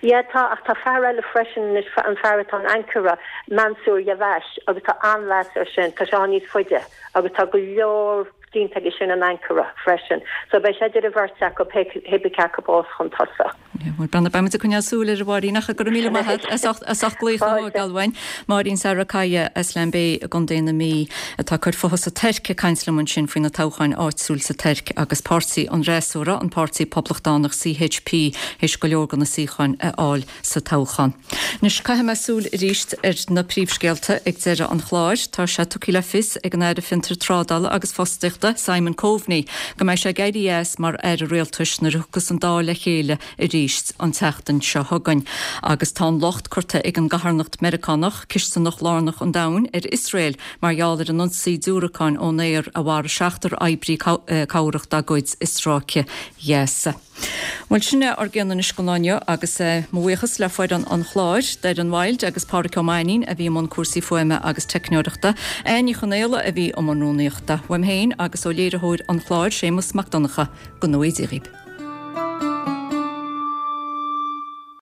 Yeah, tá, ach tá fear eile freisin anois, an fear atá in Ankara, Mansur Yavaş, agus tá an-mheas air sin. Tá sé ann níos faide agus tá go leor déanta aige sin in Ankara freisin. So beidh sé idir an bheirt acu, pé cé acu a bheas chun tosaigh. Bhuel, beidh muid ag coinneáil súil air, a Mháirín, ach go raibh míle maith agat as ucht as ucht glaoch a thógáil uainn. Máirín Sarikaya as Lambay i gContae na Mí atá ag cur futha sa Tuirc ag caint liom ansin faoi na toghcháin áitiúil sa Tuirc agus páirtí an fhreasúra, an Páirtí Poblachtánach, CHP, théis go leor de na suíocháin a fháil sa toghchán. Anois, caithfidh mé súil arís ar na príomhscéalta ag deireadh an chláir. Tá sé tugtha le fios ag an Aire Fiontar Trádála agus Fostaíochta. Fiontraíochta Simon Coveney go mbeidh sé ag éirí as mar Aire Rialtais nuair a thiocfas an Dáil le chéile arís an tseachtain seo chugainn. Agus tá an locht curtha ag an gcatharnacht Meiriceánach, cisteanach lárnach an domhain, ar Iosrael mar gheall ar an ionsaí diúracáin ón aer a mharaigh seachtar oibrí cabhrach dá gcuid i Stráice Ghaza. Bhuel, sin é ár gcion anois don lá inniu agus mo bhuíochas le foireann an chláir, Doireann Wilde agus Pádhraic Ó Mainnín a bhí i mbun cúrsaí fuaime agus teicneoireachta, Áine Ní Chonaola a bhí i mbun rúnaíochta. Uaim féin agus ó léiritheoir an chláir, Séamus Mac Donncha, go ngnóthaí Dia dhaoibh.